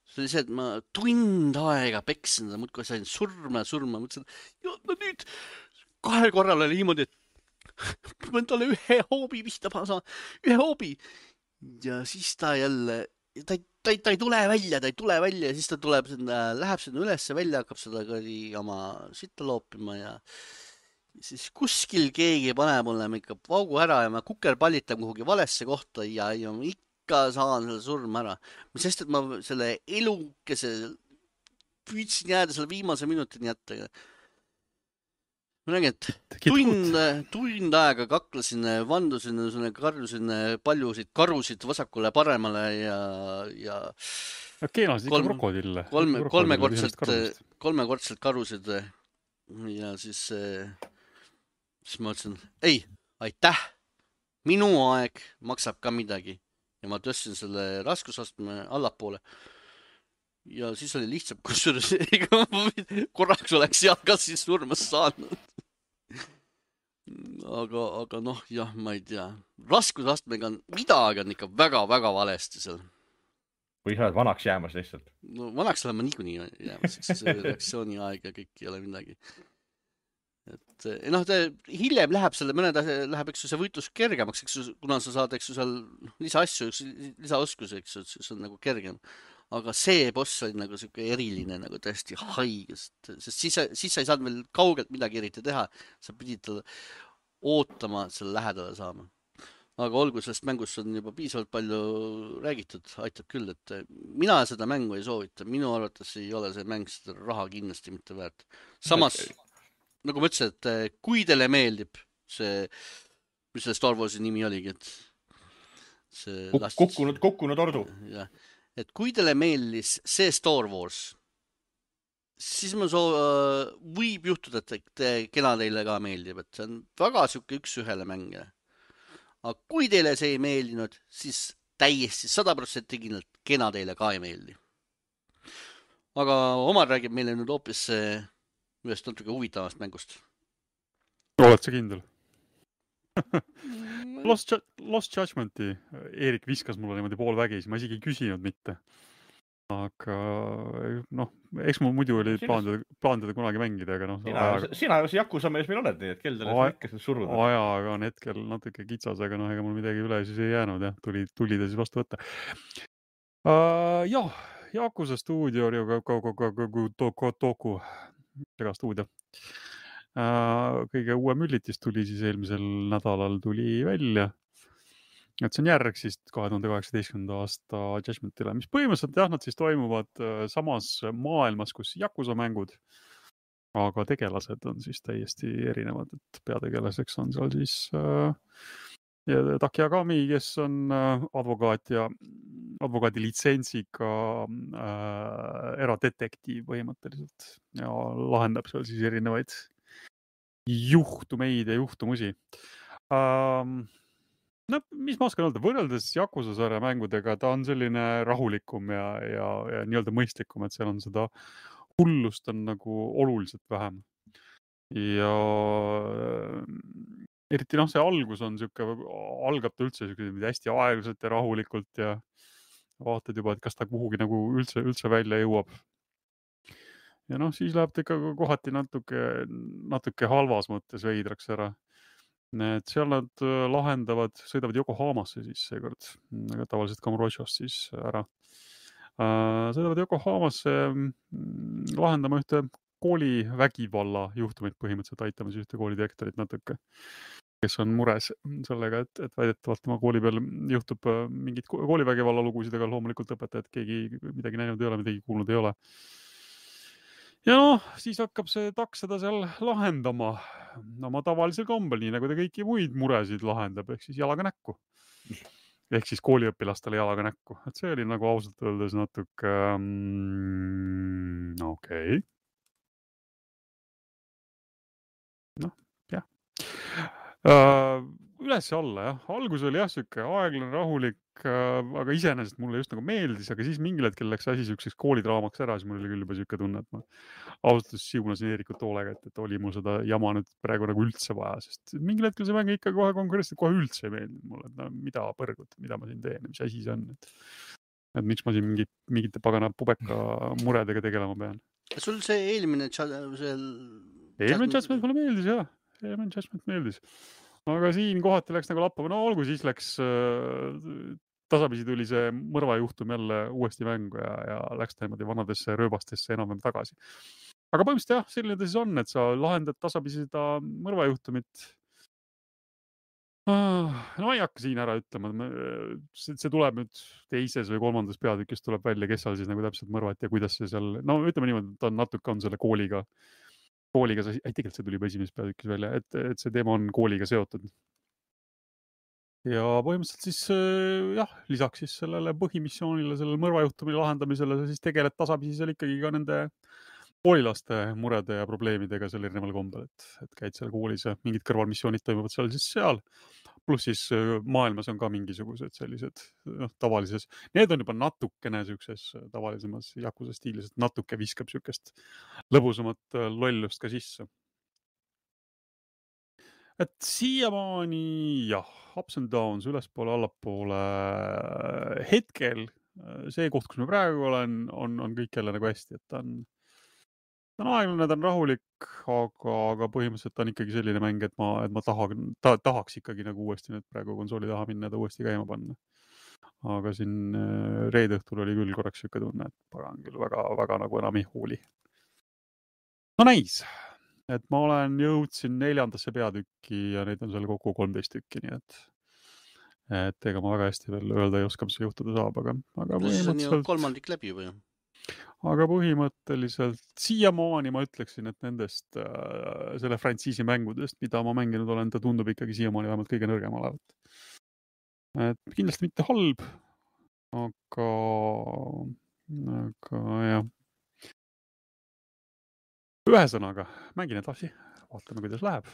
See oli see, et ma tund aega peksin, muudkui sain surma ja surma, mõtlesin, ja no nüüd kahel korral oli niimoodi, et ma pean talle ühe hoobi vihta saama, ühe hoobi. Ja siis ta jälle, ta ei Ta ei, ta ei tule välja, ta ei tule välja ja siis ta tuleb sinna, läheb sinna ülesse välja, hakkab seda oma sitta loopima ja siis kuskil keegi paneb mulle ikka vaugu ära ja ma kukerpallitan kuhugi valesse kohta ja, ja ma ikka saan selle surma ära. Sest, et ma selle elukese püüdsin jääda selle viimase minutini jätta. Ma nägin, et tund, tund aega kaklesin, vandusin, karjusin paljusid karusid vasakule paremale ja, ja okei, no siis ikka krokodille. Kolme, kolmekordselt, kolmekordselt karusid ja siis, siis ma ütlesin, ei, aitäh, minu aeg maksab ka midagi ja ma tõstsin selle raskusastme allapoole. Ja siis oli lihtsam, kusjuures korraks oleks seal kas siis surmas saanud. Aga, aga noh, jah, ma ei tea. Raskusastmega on, midagi on ikka väga-väga valesti seal. Või sa oled vanaks jäämas lihtsalt? No vanaks olen ma niikuinii jäämas, eks see reaktsiooni aeg ja kõik ei ole midagi. Et noh, ta hiljem läheb selle, mõned läheb, eks see võitlus kergemaks, eks kuna sa saad, eks seal lisa asju, lisaoskusi, eks see on nagu kergem. Aga see boss oli nagu siuke eriline, nagu tõesti haigest, sest siis, siis sa ei saanud veel kaugelt midagi eriti teha. Sa pidid talle ootama, et selle lähedale saama. Aga olgu, sellest mängust on juba piisavalt palju räägitud, aitab küll, et mina seda mängu ei soovita. Minu arvates ei ole see mäng seda raha kindlasti mitte väärt. Samas, nagu ma ütlesin, et kui teile meeldib see, mis selle Star Warsi nimi oligi, et see Kuk kukkunud, kukkunud ordu. Jah. Et kui teile meeldis see Star Wars, siis ma soo, võib juhtuda, et te, kena teile ka meeldib, et see on väga siuke üks ühele mänge. Aga kui teile see ei meeldinud, siis täiesti sada protsenti kindlalt kena teile ka ei meeldi. Aga Omar räägib meile nüüd hoopis ühest natuke huvitavast mängust. Oled sa kindel? Lost, Lost Judgmenti Eerik viskas mulle niimoodi poolvägis, ma isegi ei küsinud mitte. Aga noh, eks mul muidu oli plaandada, plaandada kunagi mängida, aga noh. Sina, ajaga... sina ju see Jakusa mees meil oled, nii et kell teile ikka seda suruda. Ajaga on hetkel natuke kitsas, aga noh, ega mul midagi üle siis ei jäänud, jah, tuli, tuli ta siis vastu võtta. Uh, jah, Jakusa stuudio oli Toku, sega stuudio. Uh, kõige uue müllitis tuli siis eelmisel nädalal tuli välja et see on järg siis kahe tuhande kaheksateistkümnenda aasta Judgmentile, mis põhimõtteliselt jah, nad siis toimuvad samas maailmas, kus Yakuza mängud, aga tegelased on siis täiesti erinevad, et peategelaseks on seal siis äh, Taki Agami, kes on äh, advokaat ja advokaadi litsentsiga äh, eradetektiiv põhimõtteliselt ja lahendab seal siis erinevaid juhtumeid ja juhtumusi. Ähm, no, mis ma oskan öelda, võrreldes Yakuza sarja mängudega, ta on selline rahulikum ja, ja, ja nii-öelda mõistlikum, et seal on seda hullust on nagu oluliselt vähem. Ja eriti noh, see algus on siuke, algab ta üldse siuke hästi aeglaselt ja rahulikult ja vaatad juba, et kas ta kuhugi nagu üldse, üldse välja jõuab. Ja noh, siis läheb ta ikka kohati natuke, natuke halvas mõttes veidraks ära. Et seal nad lahendavad, sõidavad Yokohamasse siis seekord, aga tavaliselt Kamurochost siis ära. Sõidavad Yokohamasse lahendama ühte kooli vägivalla juhtumit põhimõtteliselt aitamas ühte koolidirektorit natuke, kes on mures sellega, et, et väidetavalt tema kooli peal juhtub mingid koolivägivalla lugusid, aga loomulikult õpetajad keegi midagi näinud ei ole, midagi kuulnud ei ole. Ja noh, siis hakkab see taks seda seal lahendama. No ma tavalisel kombel, nii nagu ta kõiki muid muresid lahendab, ehk siis jalaga näkku. Ehk siis kooliõpilastele jalaga näkku. Et see oli nagu ausalt öeldes natuke... Um, okei. Okay. Noh, jah. Uh, üles ja alla, jah. Algus oli jah, siuke aeglane, rahulik, uh, aga iseenesest mulle just nagu meeldis, aga siis mingil hetkel läks asi siukseks koolidraamaks ära, siis mul oli küll juba siuke tunne, et ma ausalt siunasin Eerikut hoolega, et, et oli mul seda jama nüüd praegu nagu üldse vaja, sest mingil hetkel see mäng ikka kohe konkreetselt kohe üldse ei meeldinud mulle, et no, mida põrgut, mida ma siin teen, mis asi see on, et, et miks ma siin mingit, mingite pagana pubeka muredega tegelema pean. Sul see eelmine seal... Eelmine Judgment mulle meeldis, jah. Eelmine Judgment meeldis. Aga siin kohati läks nagu lappama. No olgu, siis läks äh, tasapisi tuli see mõrvajuhtum jälle uuesti mängu ja, ja läks ta niimoodi vanadesse rööbastesse enam-vähem tagasi. Aga põhimõtteliselt jah, selline ta siis on, et sa lahendad tasapisi seda mõrvajuhtumit. Ah, no ma ei hakka siin ära ütlema. See, see tuleb nüüd teises või kolmandas peatükis tuleb välja, kes seal siis nagu täpselt mõrvati ja kuidas see seal... No ütleme niimoodi, ta on natuke on selle kooliga kooliga, ei tegelikult see tuli juba esimeses peatükis välja, et, et see teema on kooliga seotud. Ja põhimõtteliselt siis jah, lisaks siis sellele põhimissioonile, sellele mõrvajuhtumile lahendamisele, siis tegeled tasapisi seal ikkagi ka nende koolilaste murede ja probleemidega seal erineval kombel, et, et käid seal koolis ja mingid kõrvalmissioonid toimuvad seal siis seal. Pluss siis maailmas on ka mingisugused sellised noh, tavalises. Need on juba natukene siukses tavalisemas Yakuza stiilis, et natuke viskab siukest lõbusamat lollust ka sisse. Et siiamaani jah, ups and downs, ülespoole, allapoole hetkel see koht, kus me praegu olen, on, on kõik jälle nagu hästi, et ta on Ta on aeglane, ta on rahulik, aga, aga põhimõtteliselt on ikkagi selline mäng, et ma, et ma taha, ta, tahaks ikkagi nagu uuesti nüüd praegu konsooli taha minna ja ta uuesti käima panna. Aga siin reede õhtul oli küll korraks siuke tunne, et pagan küll väga, väga nagu enam ei hooli. No näis, et ma olen jõudsin neljandasse peatükki ja neid on seal kokku kolmteist tükki, nii et, et ega ma väga hästi veel öelda ei oska, mis see juhtuda saab, aga, aga põhimõtteliselt... kolmandik läbi juba ju. Aga põhimõtteliselt siiamaani ma ütleksin, et nendest äh, selle frantsiisi mängudest, mida ma mänginud olen, ta tundub ikkagi siiamaani vähemalt kõige nõrgem olevat. Et kindlasti mitte halb, aga, aga jah. Ühesõnaga, mängin edasi, vaatame, kuidas läheb.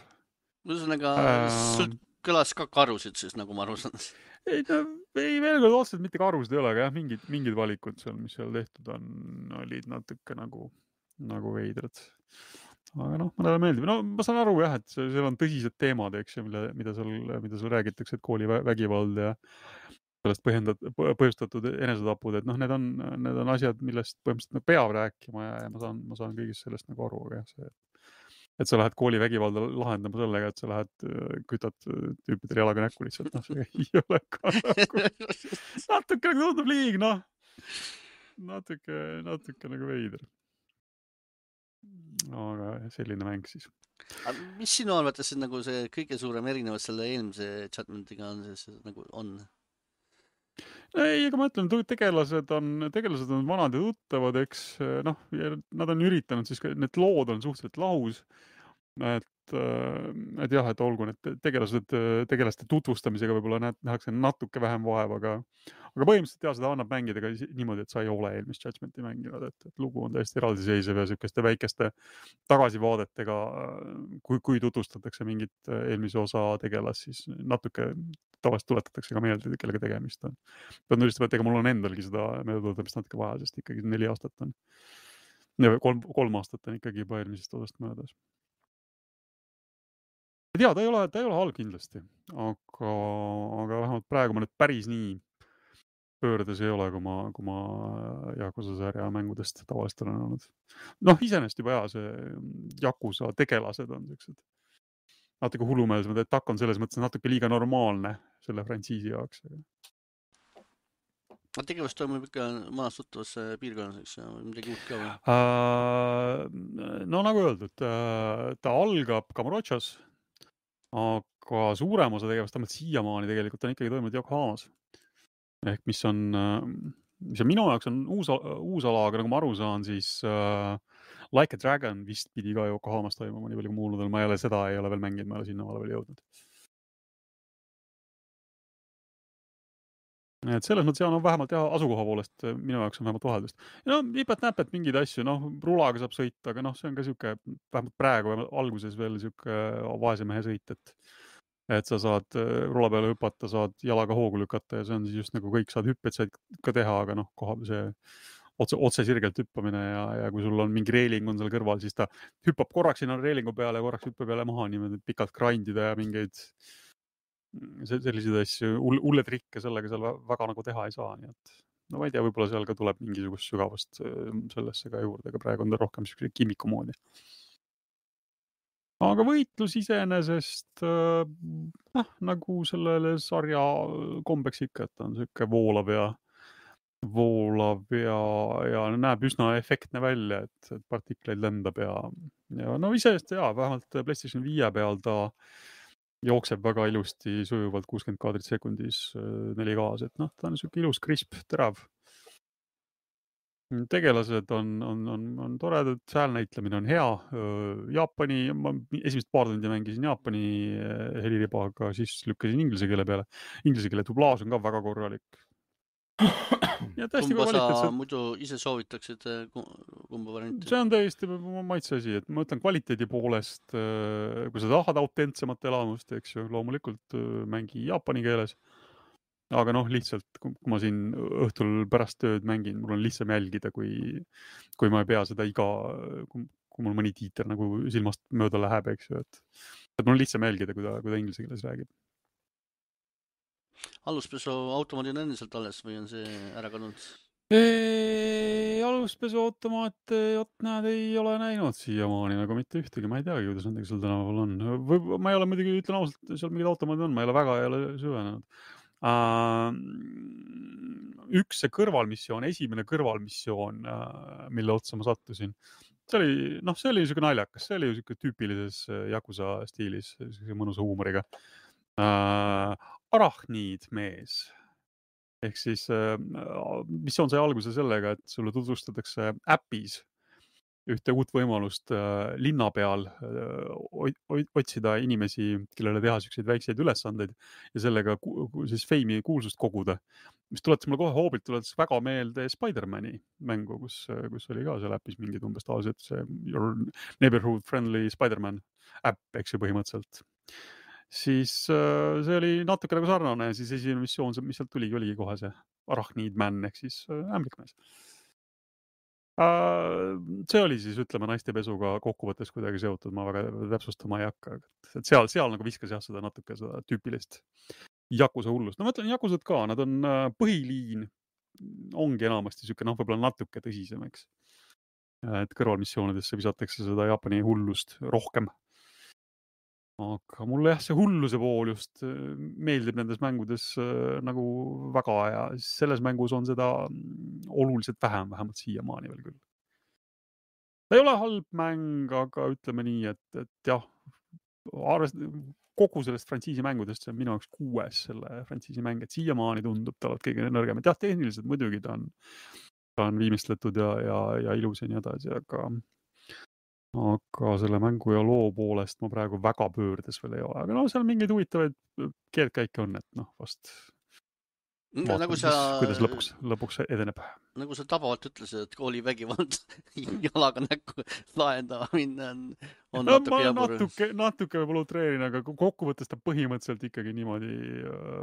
Ühesõnaga, äh... sul kõlas ka karusid siis, nagu ma aru saan. Ei, no, ei veel kord otseselt mitte karusid ei ole, aga jah, mingid, mingid valikud seal, mis seal tehtud on, olid natuke nagu, nagu veidrad. Aga noh, mõnele meeldib. No ma saan aru jah, et seal on tõsised teemad, eks ju, mille, mida sul, mida sul räägitakse, et kooli vägivald ja sellest põhjendat, põhjustatud enesetapud, et noh, need on, need on asjad, millest põhimõtteliselt peab rääkima ja, ja ma saan, ma saan kõigist sellest nagu aru, aga jah, see et sa lähed kooli vägivalda lahendama sellega, et sa lähed, kütad tüüpidele jalaga näkku lihtsalt, noh, see ei ole ka nagu, natuke nagu tundub liig, noh, natuke, natuke nagu veider. aga selline mäng siis. Mis sinu arvates nagu see kõige suurem erinevus selle eelmise Judgmentiga on, see nagu on? Ei, ega ma ütlen, tegelased on, tegelased on vanad ja tuttavad, eks noh, nad on üritanud siis, need lood on suhteliselt lahus, et, et jah, et olgu need tegelased, tegelaste tutvustamisega võib-olla nähakse natuke vähem vaeva, aga, aga põhimõtteliselt jah, seda annab mängida ka niimoodi, et sa ei ole eelmist Judgmenti mänginud, et, et lugu on täiesti eraldiseisev ja sükeste väikeste tagasivaadetega, kui, kui tutvustatakse mingit eelmise osa tegelast, siis natuke tavaliselt tuletatakse ka meelde, kellega tegemist on. Pean ülistama, et ega mul on endalgi seda meeldutamist natuke vaja, sest ikkagi neli aastat on, kolm, kolm aastat on ikkagi juba eelmisest osast möödas. Et jaa, ta ei ole, ta ei ole halb kindlasti, aga, aga vähemalt praegu ma nüüd päris nii pöördes ei ole, kui ma, kui ma Yakuza sarja mängudest tavaliselt olen olnud. Noh, iseenesest juba jaa, see Yakuza tegelased on sellised natuke hullumeelsemad, et takk on selles mõttes natuke liiga normaalne selle frantsiisi jaoks. Tegevust toimub ikka maas tuttavas piirkonnas, eks midagi uut ka või? Uh, no nagu öeldud, ta algab Kamurochas, aga suurem osa tegevust tähendab siiamaani tegelikult on ikkagi toimunud Yokohamas. Ehk mis on, mis on minu jaoks on uus, uus ala, aga nagu ma aru saan, siis uh, Like a Dragon vist pidi ka Yokohamas toimuma, nii palju kui muuludel, ma ei ole seda, ei ole veel mänginud, ma ei ole sinna maale veel jõudnud. Et selles mõttes jah, no vähemalt jah, asukoha poolest minu jaoks on vähemalt vaheldust. Ja no nipet-näpet mingeid asju, noh, rulaga saab sõita, aga noh, see on ka siuke, vähemalt praegu alguses veel siuke vaese mehe sõit, et et sa saad rula peale hüpata, saad jalaga hoogu lükata ja see on siis just nagu kõik saad hüpped saad ka teha, aga noh, koha see otse, otse sirgelt hüppamine ja, ja kui sul on mingi reiling on seal kõrval, siis ta hüppab korraks sinna reilingu peale ja korraks hüppab jälle maha niimoodi pikalt grindida ja mingeid selliseid asju, hulle trikke sellega seal väga nagu teha ei saa, nii et no ma ei tea, võib-olla seal ka tuleb mingisugust sügavust sellesse ka juurde, aga praegu on ta rohkem selline kimiku moodi. Aga võitlus iseenesest äh, nagu sellele sarja kombeks ikka, et on selline voolav ja voolav ja, ja näeb üsna efektne välja, et, et partikleid lendab ja, ja no iseenesest jaa, vähemalt PlayStation viie peal ta jookseb väga ilusti sujuvalt kuuskümmend kaadrit sekundis neli K-s, et noh, ta on selline ilus, krisp, terav. Tegelased on, on, on, on toredad, säälnäitlemine on hea. Jaapani, ma esimest paar tundi mängisin Jaapani heliribaga, siis lükkasin inglise keele peale. Inglise keele dublaaž on ka väga korralik. Ja kumba sa muidu ise soovitaksid kumba varianti? See on täiesti maitse asi, et ma ütlen kvaliteedi poolest, kui sa tahad autentsemat elamust, eks ju, loomulikult mängi jaapani keeles. Aga noh, lihtsalt, kui ma siin õhtul pärast tööd mängin, mul on lihtsam jälgida, kui, kui ma ei pea seda iga, kui, kui mul mõni tiiter nagu silmast mööda läheb, eks ju, et, et mul on lihtsam jälgida, kui ta, kui ta inglise keeles räägib. Aluspesu automaadi on endiselt alles või on see ära kadunud? Aluspesu automaat, jot näed, ei ole näinud siiamaani nagu mitte ühtegi, ma ei teagi, kuidas nendega seal tänaval on. Või, ma ei ole muidugi, ütlen ausalt, seal mingid automaadid on, ma ei ole väga ei ole süvenenud. Uh, üks see kõrvalmissioon, esimene kõrvalmissioon, uh, mille otsa ma sattusin, see oli, noh, see oli niisugune naljakas, see oli ju niisugune tüüpilises Yakuza stiilis, mõnusa huumoriga. Uh, arachniid mees. Ehk siis uh, missioon sai alguse sellega, et sulle tutvustatakse äpis ühte uut võimalust äh, linna peal äh, otsida inimesi, kellele teha selliseid väikseid ülesandeid ja sellega ku, siis feimi kuulsust koguda. Mis tuletas mulle kohe hoobilt, tuletas väga meelde Spider-Mani mängu, kus, kus oli ka seal äpis mingid umbes tavaliselt see Your Neighborhood Friendly Spider-Man äpp, eks ju põhimõtteliselt. Siis äh, see oli natuke nagu sarnane ja siis esimene missioon, mis sealt tuligi, oligi kohe see Arachneed Man ehk siis äh, ämblikmees. See oli siis, ütleme, naistepesuga kokkuvõttes kuidagi seotud, ma väga täpsustama ei hakka. Et seal, seal nagu viskas jah seda natuke seda tüüpilist Yakuza hullust. No ma ütlen, Yakuzad ka, nad on põhiliin, ongi enamasti siuke, noh, võib-olla natuke tõsisem, eks. Et kõrvalmissioonidesse visatakse seda Jaapani hullust rohkem. Aga mulle jah, see hulluse pool just meeldib nendes mängudes nagu väga ja selles mängus on seda oluliselt vähem, vähemalt siiamaani veel küll. ta ei ole halb mäng, aga ütleme nii, et, et jah, arvest, kogu sellest frantsiisi mängudest see on minu jaoks kuues selle frantsiisi mäng, et siiamaani tundub ta olevat kõige nõrgem. Et jah, tehniliselt muidugi ta on, ta on viimistletud ja, ja, ja ilus ja nii edasi, aga aga selle mängu ja loo poolest ma praegu väga pöördes veel ei ole. Aga no seal mingeid huvitavaid keelkäike on, et noh, vast vaatame nagu siis, sa, kuidas lõpuks, lõpuks edeneb. Nagu sa tabavalt ütlesid, et koolivägivald jalaga näkku lahendama minna on, on no, natuke jabur. Natuke, natuke võib-olla utreerin, aga kokkuvõttes ta põhimõtteliselt ikkagi niimoodi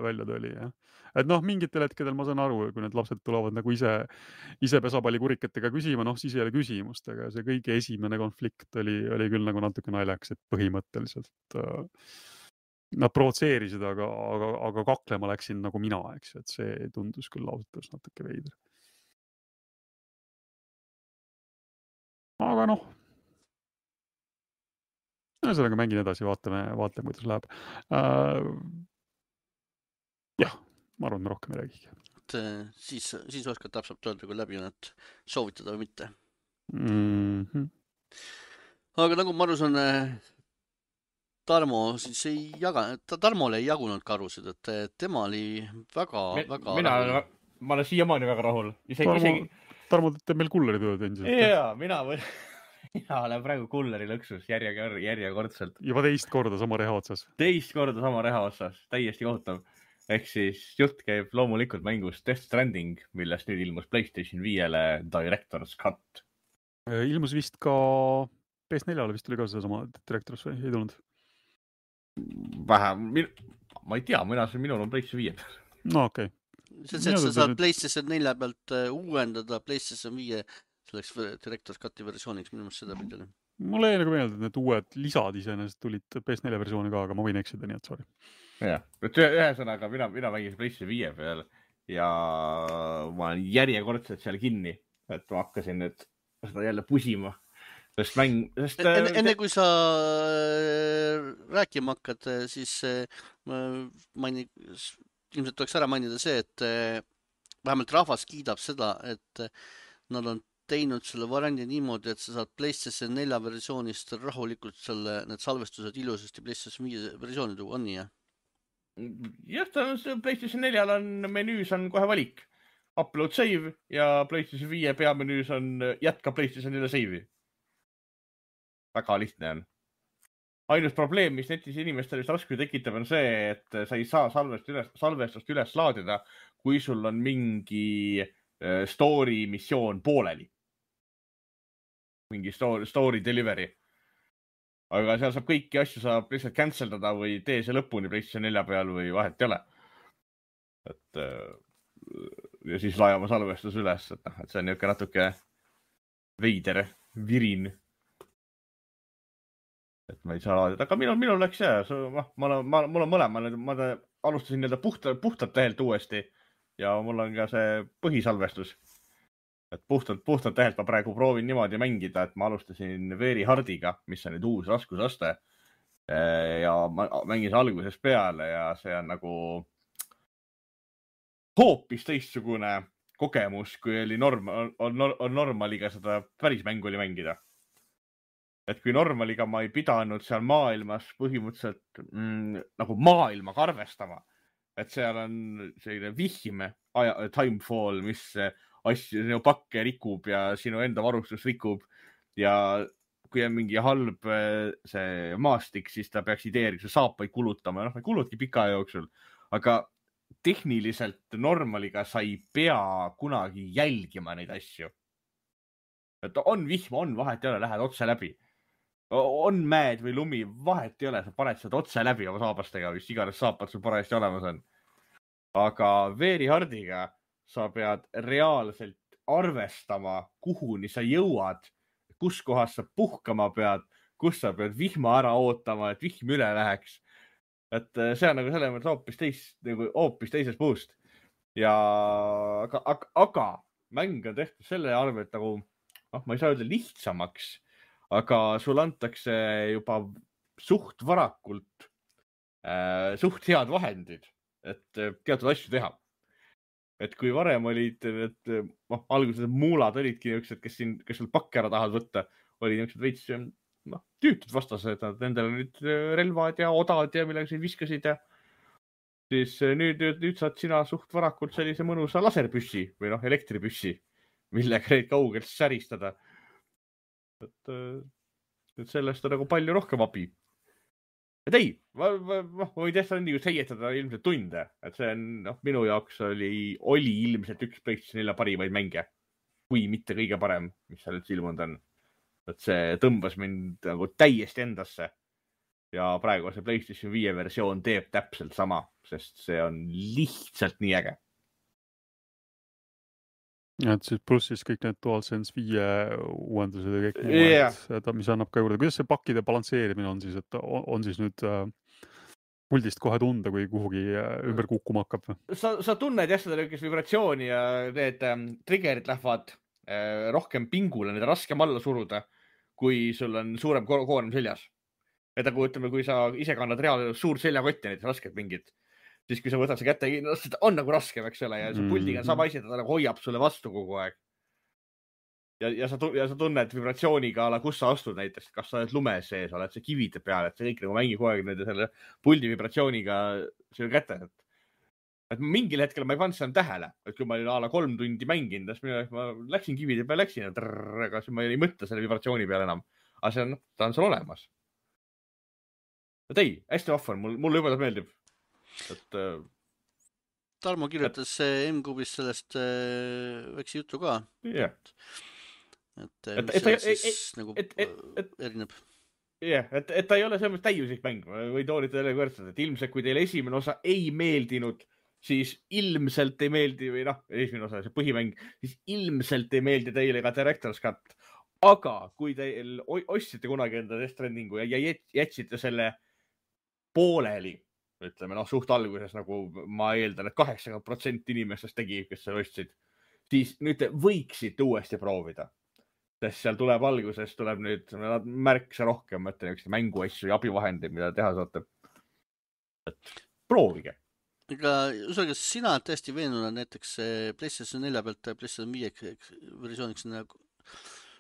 välja tuli. Ja. Et noh, mingitel hetkedel ma saan aru, kui need lapsed tulevad nagu ise, ise pesapallikurikatega küsima, noh siis ei ole küsimust, aga see kõige esimene konflikt oli, oli küll nagu natuke naljaks, et põhimõtteliselt äh, nad provotseerisid, aga, aga, aga kaklema läksin nagu mina, eks, et see tundus küll ausalt natuke veider. Aga noh, sellega mängin edasi, vaatame, vaatame, kuidas läheb. Äh, jah, ma arvan, me rohkem ei räägigi. Siis, siis oskad täpselt öelda, kui läbi on, et soovitada või mitte. Mm-hmm. Aga nagu ma aru saan, Tarmo siis ei jaga, Tarmole ei jagunud karusid, et tema oli väga, Mi, väga mina, ma olen siiamaani väga rahul. Isegi, Tarmo, isegi... Tarmo teeb meil kulleri tööd endiselt. Jaa, mina, mina olen praegu kulleri lõksus järjekord, järjekordselt. Juba teist korda sama reha otsas. Teist korda sama reha otsas, täiesti kohutav. Ehk siis jutt käib loomulikult mängust Death Stranding, millest nüüd ilmus PlayStation viiele Director's Cut. Ilmus vist ka P S neljale vist oli ka see sama Director's või ei tulnud? Vähem, ma ei tea, mina see minul on PlayStation viie. No okei. Okay. See on see, et sa saad PlayStation nelja pealt uuendada PlayStation viie selleks Director's Cuti versiooniks, minu mõttes seda pildile. Mulle ei nagu meelde, et need uued lisad iseenesest tulid P S neljale versiooni ka, aga ma võin eksida, nii et sorry. Jah, et ühesõnaga mina, mina mängin PlayStation viie peal ja ma olen järjekordselt seal kinni, et ma hakkasin nüüd seda jälle pusima. Sest mäng, sest... Enne, enne kui sa rääkima hakkad, siis maini, ilmselt tuleks ära mainida see, et vähemalt rahvas kiidab seda, et nad on teinud selle variandi niimoodi, et sa saad PlayStation nelja versioonist rahulikult selle, need salvestused ilusasti PlayStation viie versiooni tuua, on nii, jah? Jah, ta on, PlayStation neljal on menüüs on kohe valik. Upload save ja PlayStation viie peamenüüs on jätka PlayStation neljale save'i. Väga lihtne on. Ainus probleem, mis netis inimestel vist raskusi tekitab, on see, et sa ei saa salvestust üles, salvestust üles laadida, kui sul on mingi story missioon pooleli. Mingi story, story delivery. Aga seal saab kõiki asju saab lihtsalt canceldada või tee see lõpuni PlayStation nelja peal või vahet ei ole. Et, ja siis laajama salvestus üles, et, et see on niisugune natuke veider, virin. Et ma ei saa laadida, aga minul, minul läks see, ma, ma, ma, mul on mõlema, ma alustasin nii-öelda puhta, puhtalt tähelt uuesti ja mul on ka see põhisalvestus. Et puhtalt, puhtalt tähelt ma praegu proovin niimoodi mängida, et ma alustasin Very Hardiga, mis on nüüd uus raskusaste ja ma mängin algusest peale ja see on nagu hoopis teistsugune kogemus, kui oli norm, on, on normaliga seda päris mängu oli mängida. Et kui normaliga ma ei pidanud seal maailmas põhimõtteliselt mm, nagu maailmaga arvestama. Et seal on selline vihme aja, timefall, mis asju, sinu pakke rikub ja sinu enda varustus rikub. Ja kui on mingi halb see maastik, siis ta peaks ideeriks saapaid kulutama. No, ma ei kulutki pika jooksul. Aga tehniliselt normaliga sa ei pea kunagi jälgima neid asju. Et on vihma, on vahet ei ole, lähed otse läbi. On mäed või lumi, vahet ei ole, sa paned seda otse läbi oma saabastega, mis iganes saapad sul parajasti olemas on. Aga Very Hardiga sa pead reaalselt arvestama, kuhuni sa jõuad, kus kohas sa puhkama pead, kus sa pead vihma ära ootama, et vihm üle läheks. Et see on nagu selle mõttes hoopis, teis, nagu hoopis teises puust. Ja, aga, aga, aga mäng on tehtud selle arvelt nagu, noh, ma ei saa öelda lihtsamaks, aga sul antakse juba suht varakult äh, suht head vahendid, et teatud asju teha. Et kui varem olid, et noh, alguses muulad olidki niisugused, kes, siin, kes sul pakke ära tahavad võtta, oli niisugused veits noh, tüütud vastased, nad nendele nüüd relvad ja odad ja millega siin viskasid ja siis nüüd, nüüd, nüüd saad sina suht varakult sellise mõnusa laserpüssi või noh, elektripüssi, millega neid kaugelt säristada. Et, et sellest on nagu palju rohkem abi. Et ei, ma, ma, ma võin tähtsalt nii seietada ilmselt tunde, et see on, noh, minu jaoks oli, oli ilmselt üks PlayStation nelja parimaid mänge, kui mitte kõige parem, mis seal üldse ilmunud on. Et see tõmbas mind nagu täiesti endasse ja praegu see PlayStation viie versioon teeb täpselt sama, sest see on lihtsalt nii äge. Ja, et siis pluss siis kõik need DualSense viie uuendused ja kõik Yeah. muud, mis annab ka juurde. Kuidas see pakkide balansseerimine on siis, et on, on siis nüüd äh, puldist kohe tunda, kui kuhugi äh, ümber kukkuma hakkab? Sa, sa tunned jah seda niisugust vibratsiooni ja need ähm, triggerid lähevad äh, rohkem pingule, need on raskem alla suruda, kui sul on suurem ko- koorem seljas. Et nagu ütleme, kui sa ise kannad reaalselt suur seljakott ja need rasked pingid, siis kui sa võtad see kätte, on nagu raskem, eks ole, ja see puldiga on sama asi, ta nagu hoiab sulle vastu kogu aeg. Ja, ja, sa, ja sa tunned vibratsiooniga, ala, kus sa astud näiteks, kas sa oled lumes sees, oled see kivide peal, et see kõik nagu mängib kogu aeg nende selle puldi vibratsiooniga selle kätte. Et, et mingil hetkel ma ei pannud seda tähele, et kui ma olin ala kolm tundi mänginud, siis ma läksin kivide peale, läksin, aga siis ma ei mõtle selle vibratsiooni peale enam. Aga see on, ta on seal olemas. Et ei, hästi vahvan, mul, mulle juba ta meeldib. Et, äh, Tarmo kirjutas et... M-Kubis sellest äh, väikse jutu ka. Yeah. Et, et, mis et, sellest et, siis et, nagu et, et, et, erineb. Jah, yeah, et, et ta ei ole selles täiuslik mäng või toolita jälle võrdsed, et ilmselt kui teile esimene osa ei meeldinud, siis ilmselt ei meeldi või noh, esimene osa, see põhimäng, siis ilmselt ei meeldi teile ka Director's Cut. Aga kui teil ostsite kunagi enda Death Strandingu ja jätsite selle pooleli, ütleme, noh, suht alguses, nagu ma eeldan, et kaheksakümmend protsenti inimestest tegi, kes seal ostsid, siis nüüd te võiksite uuesti proovida. Sest seal tuleb alguses, tuleb nüüd märksa rohkem, mõtlen üks mänguasju ja abivahendeid, mida teha saate. Et proovige. Ega, usage, sina tõesti veenuna näiteks PlayStation nelja pealt PlayStation viie versiooniks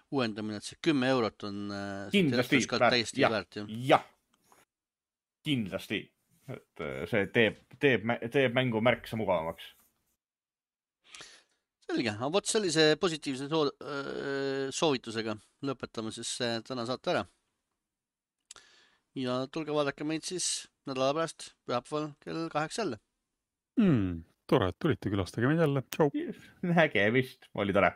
uuendamine, et see kümme eurot on kindlasti täiesti ja, väärt. Jah, kindlasti. Et see teeb, teeb, teeb mängu märksa mugavamaks. Selge, aga võt sellise positiivse soo, soovitusega lõpetame siis täna saate ära. Ja tulge vaadake meid siis nädala pärast pühapäeval kell kaheksa jälle. Hmm, tore, et tulite külastage meid jälle. Tšau. Nägemist, oli tore.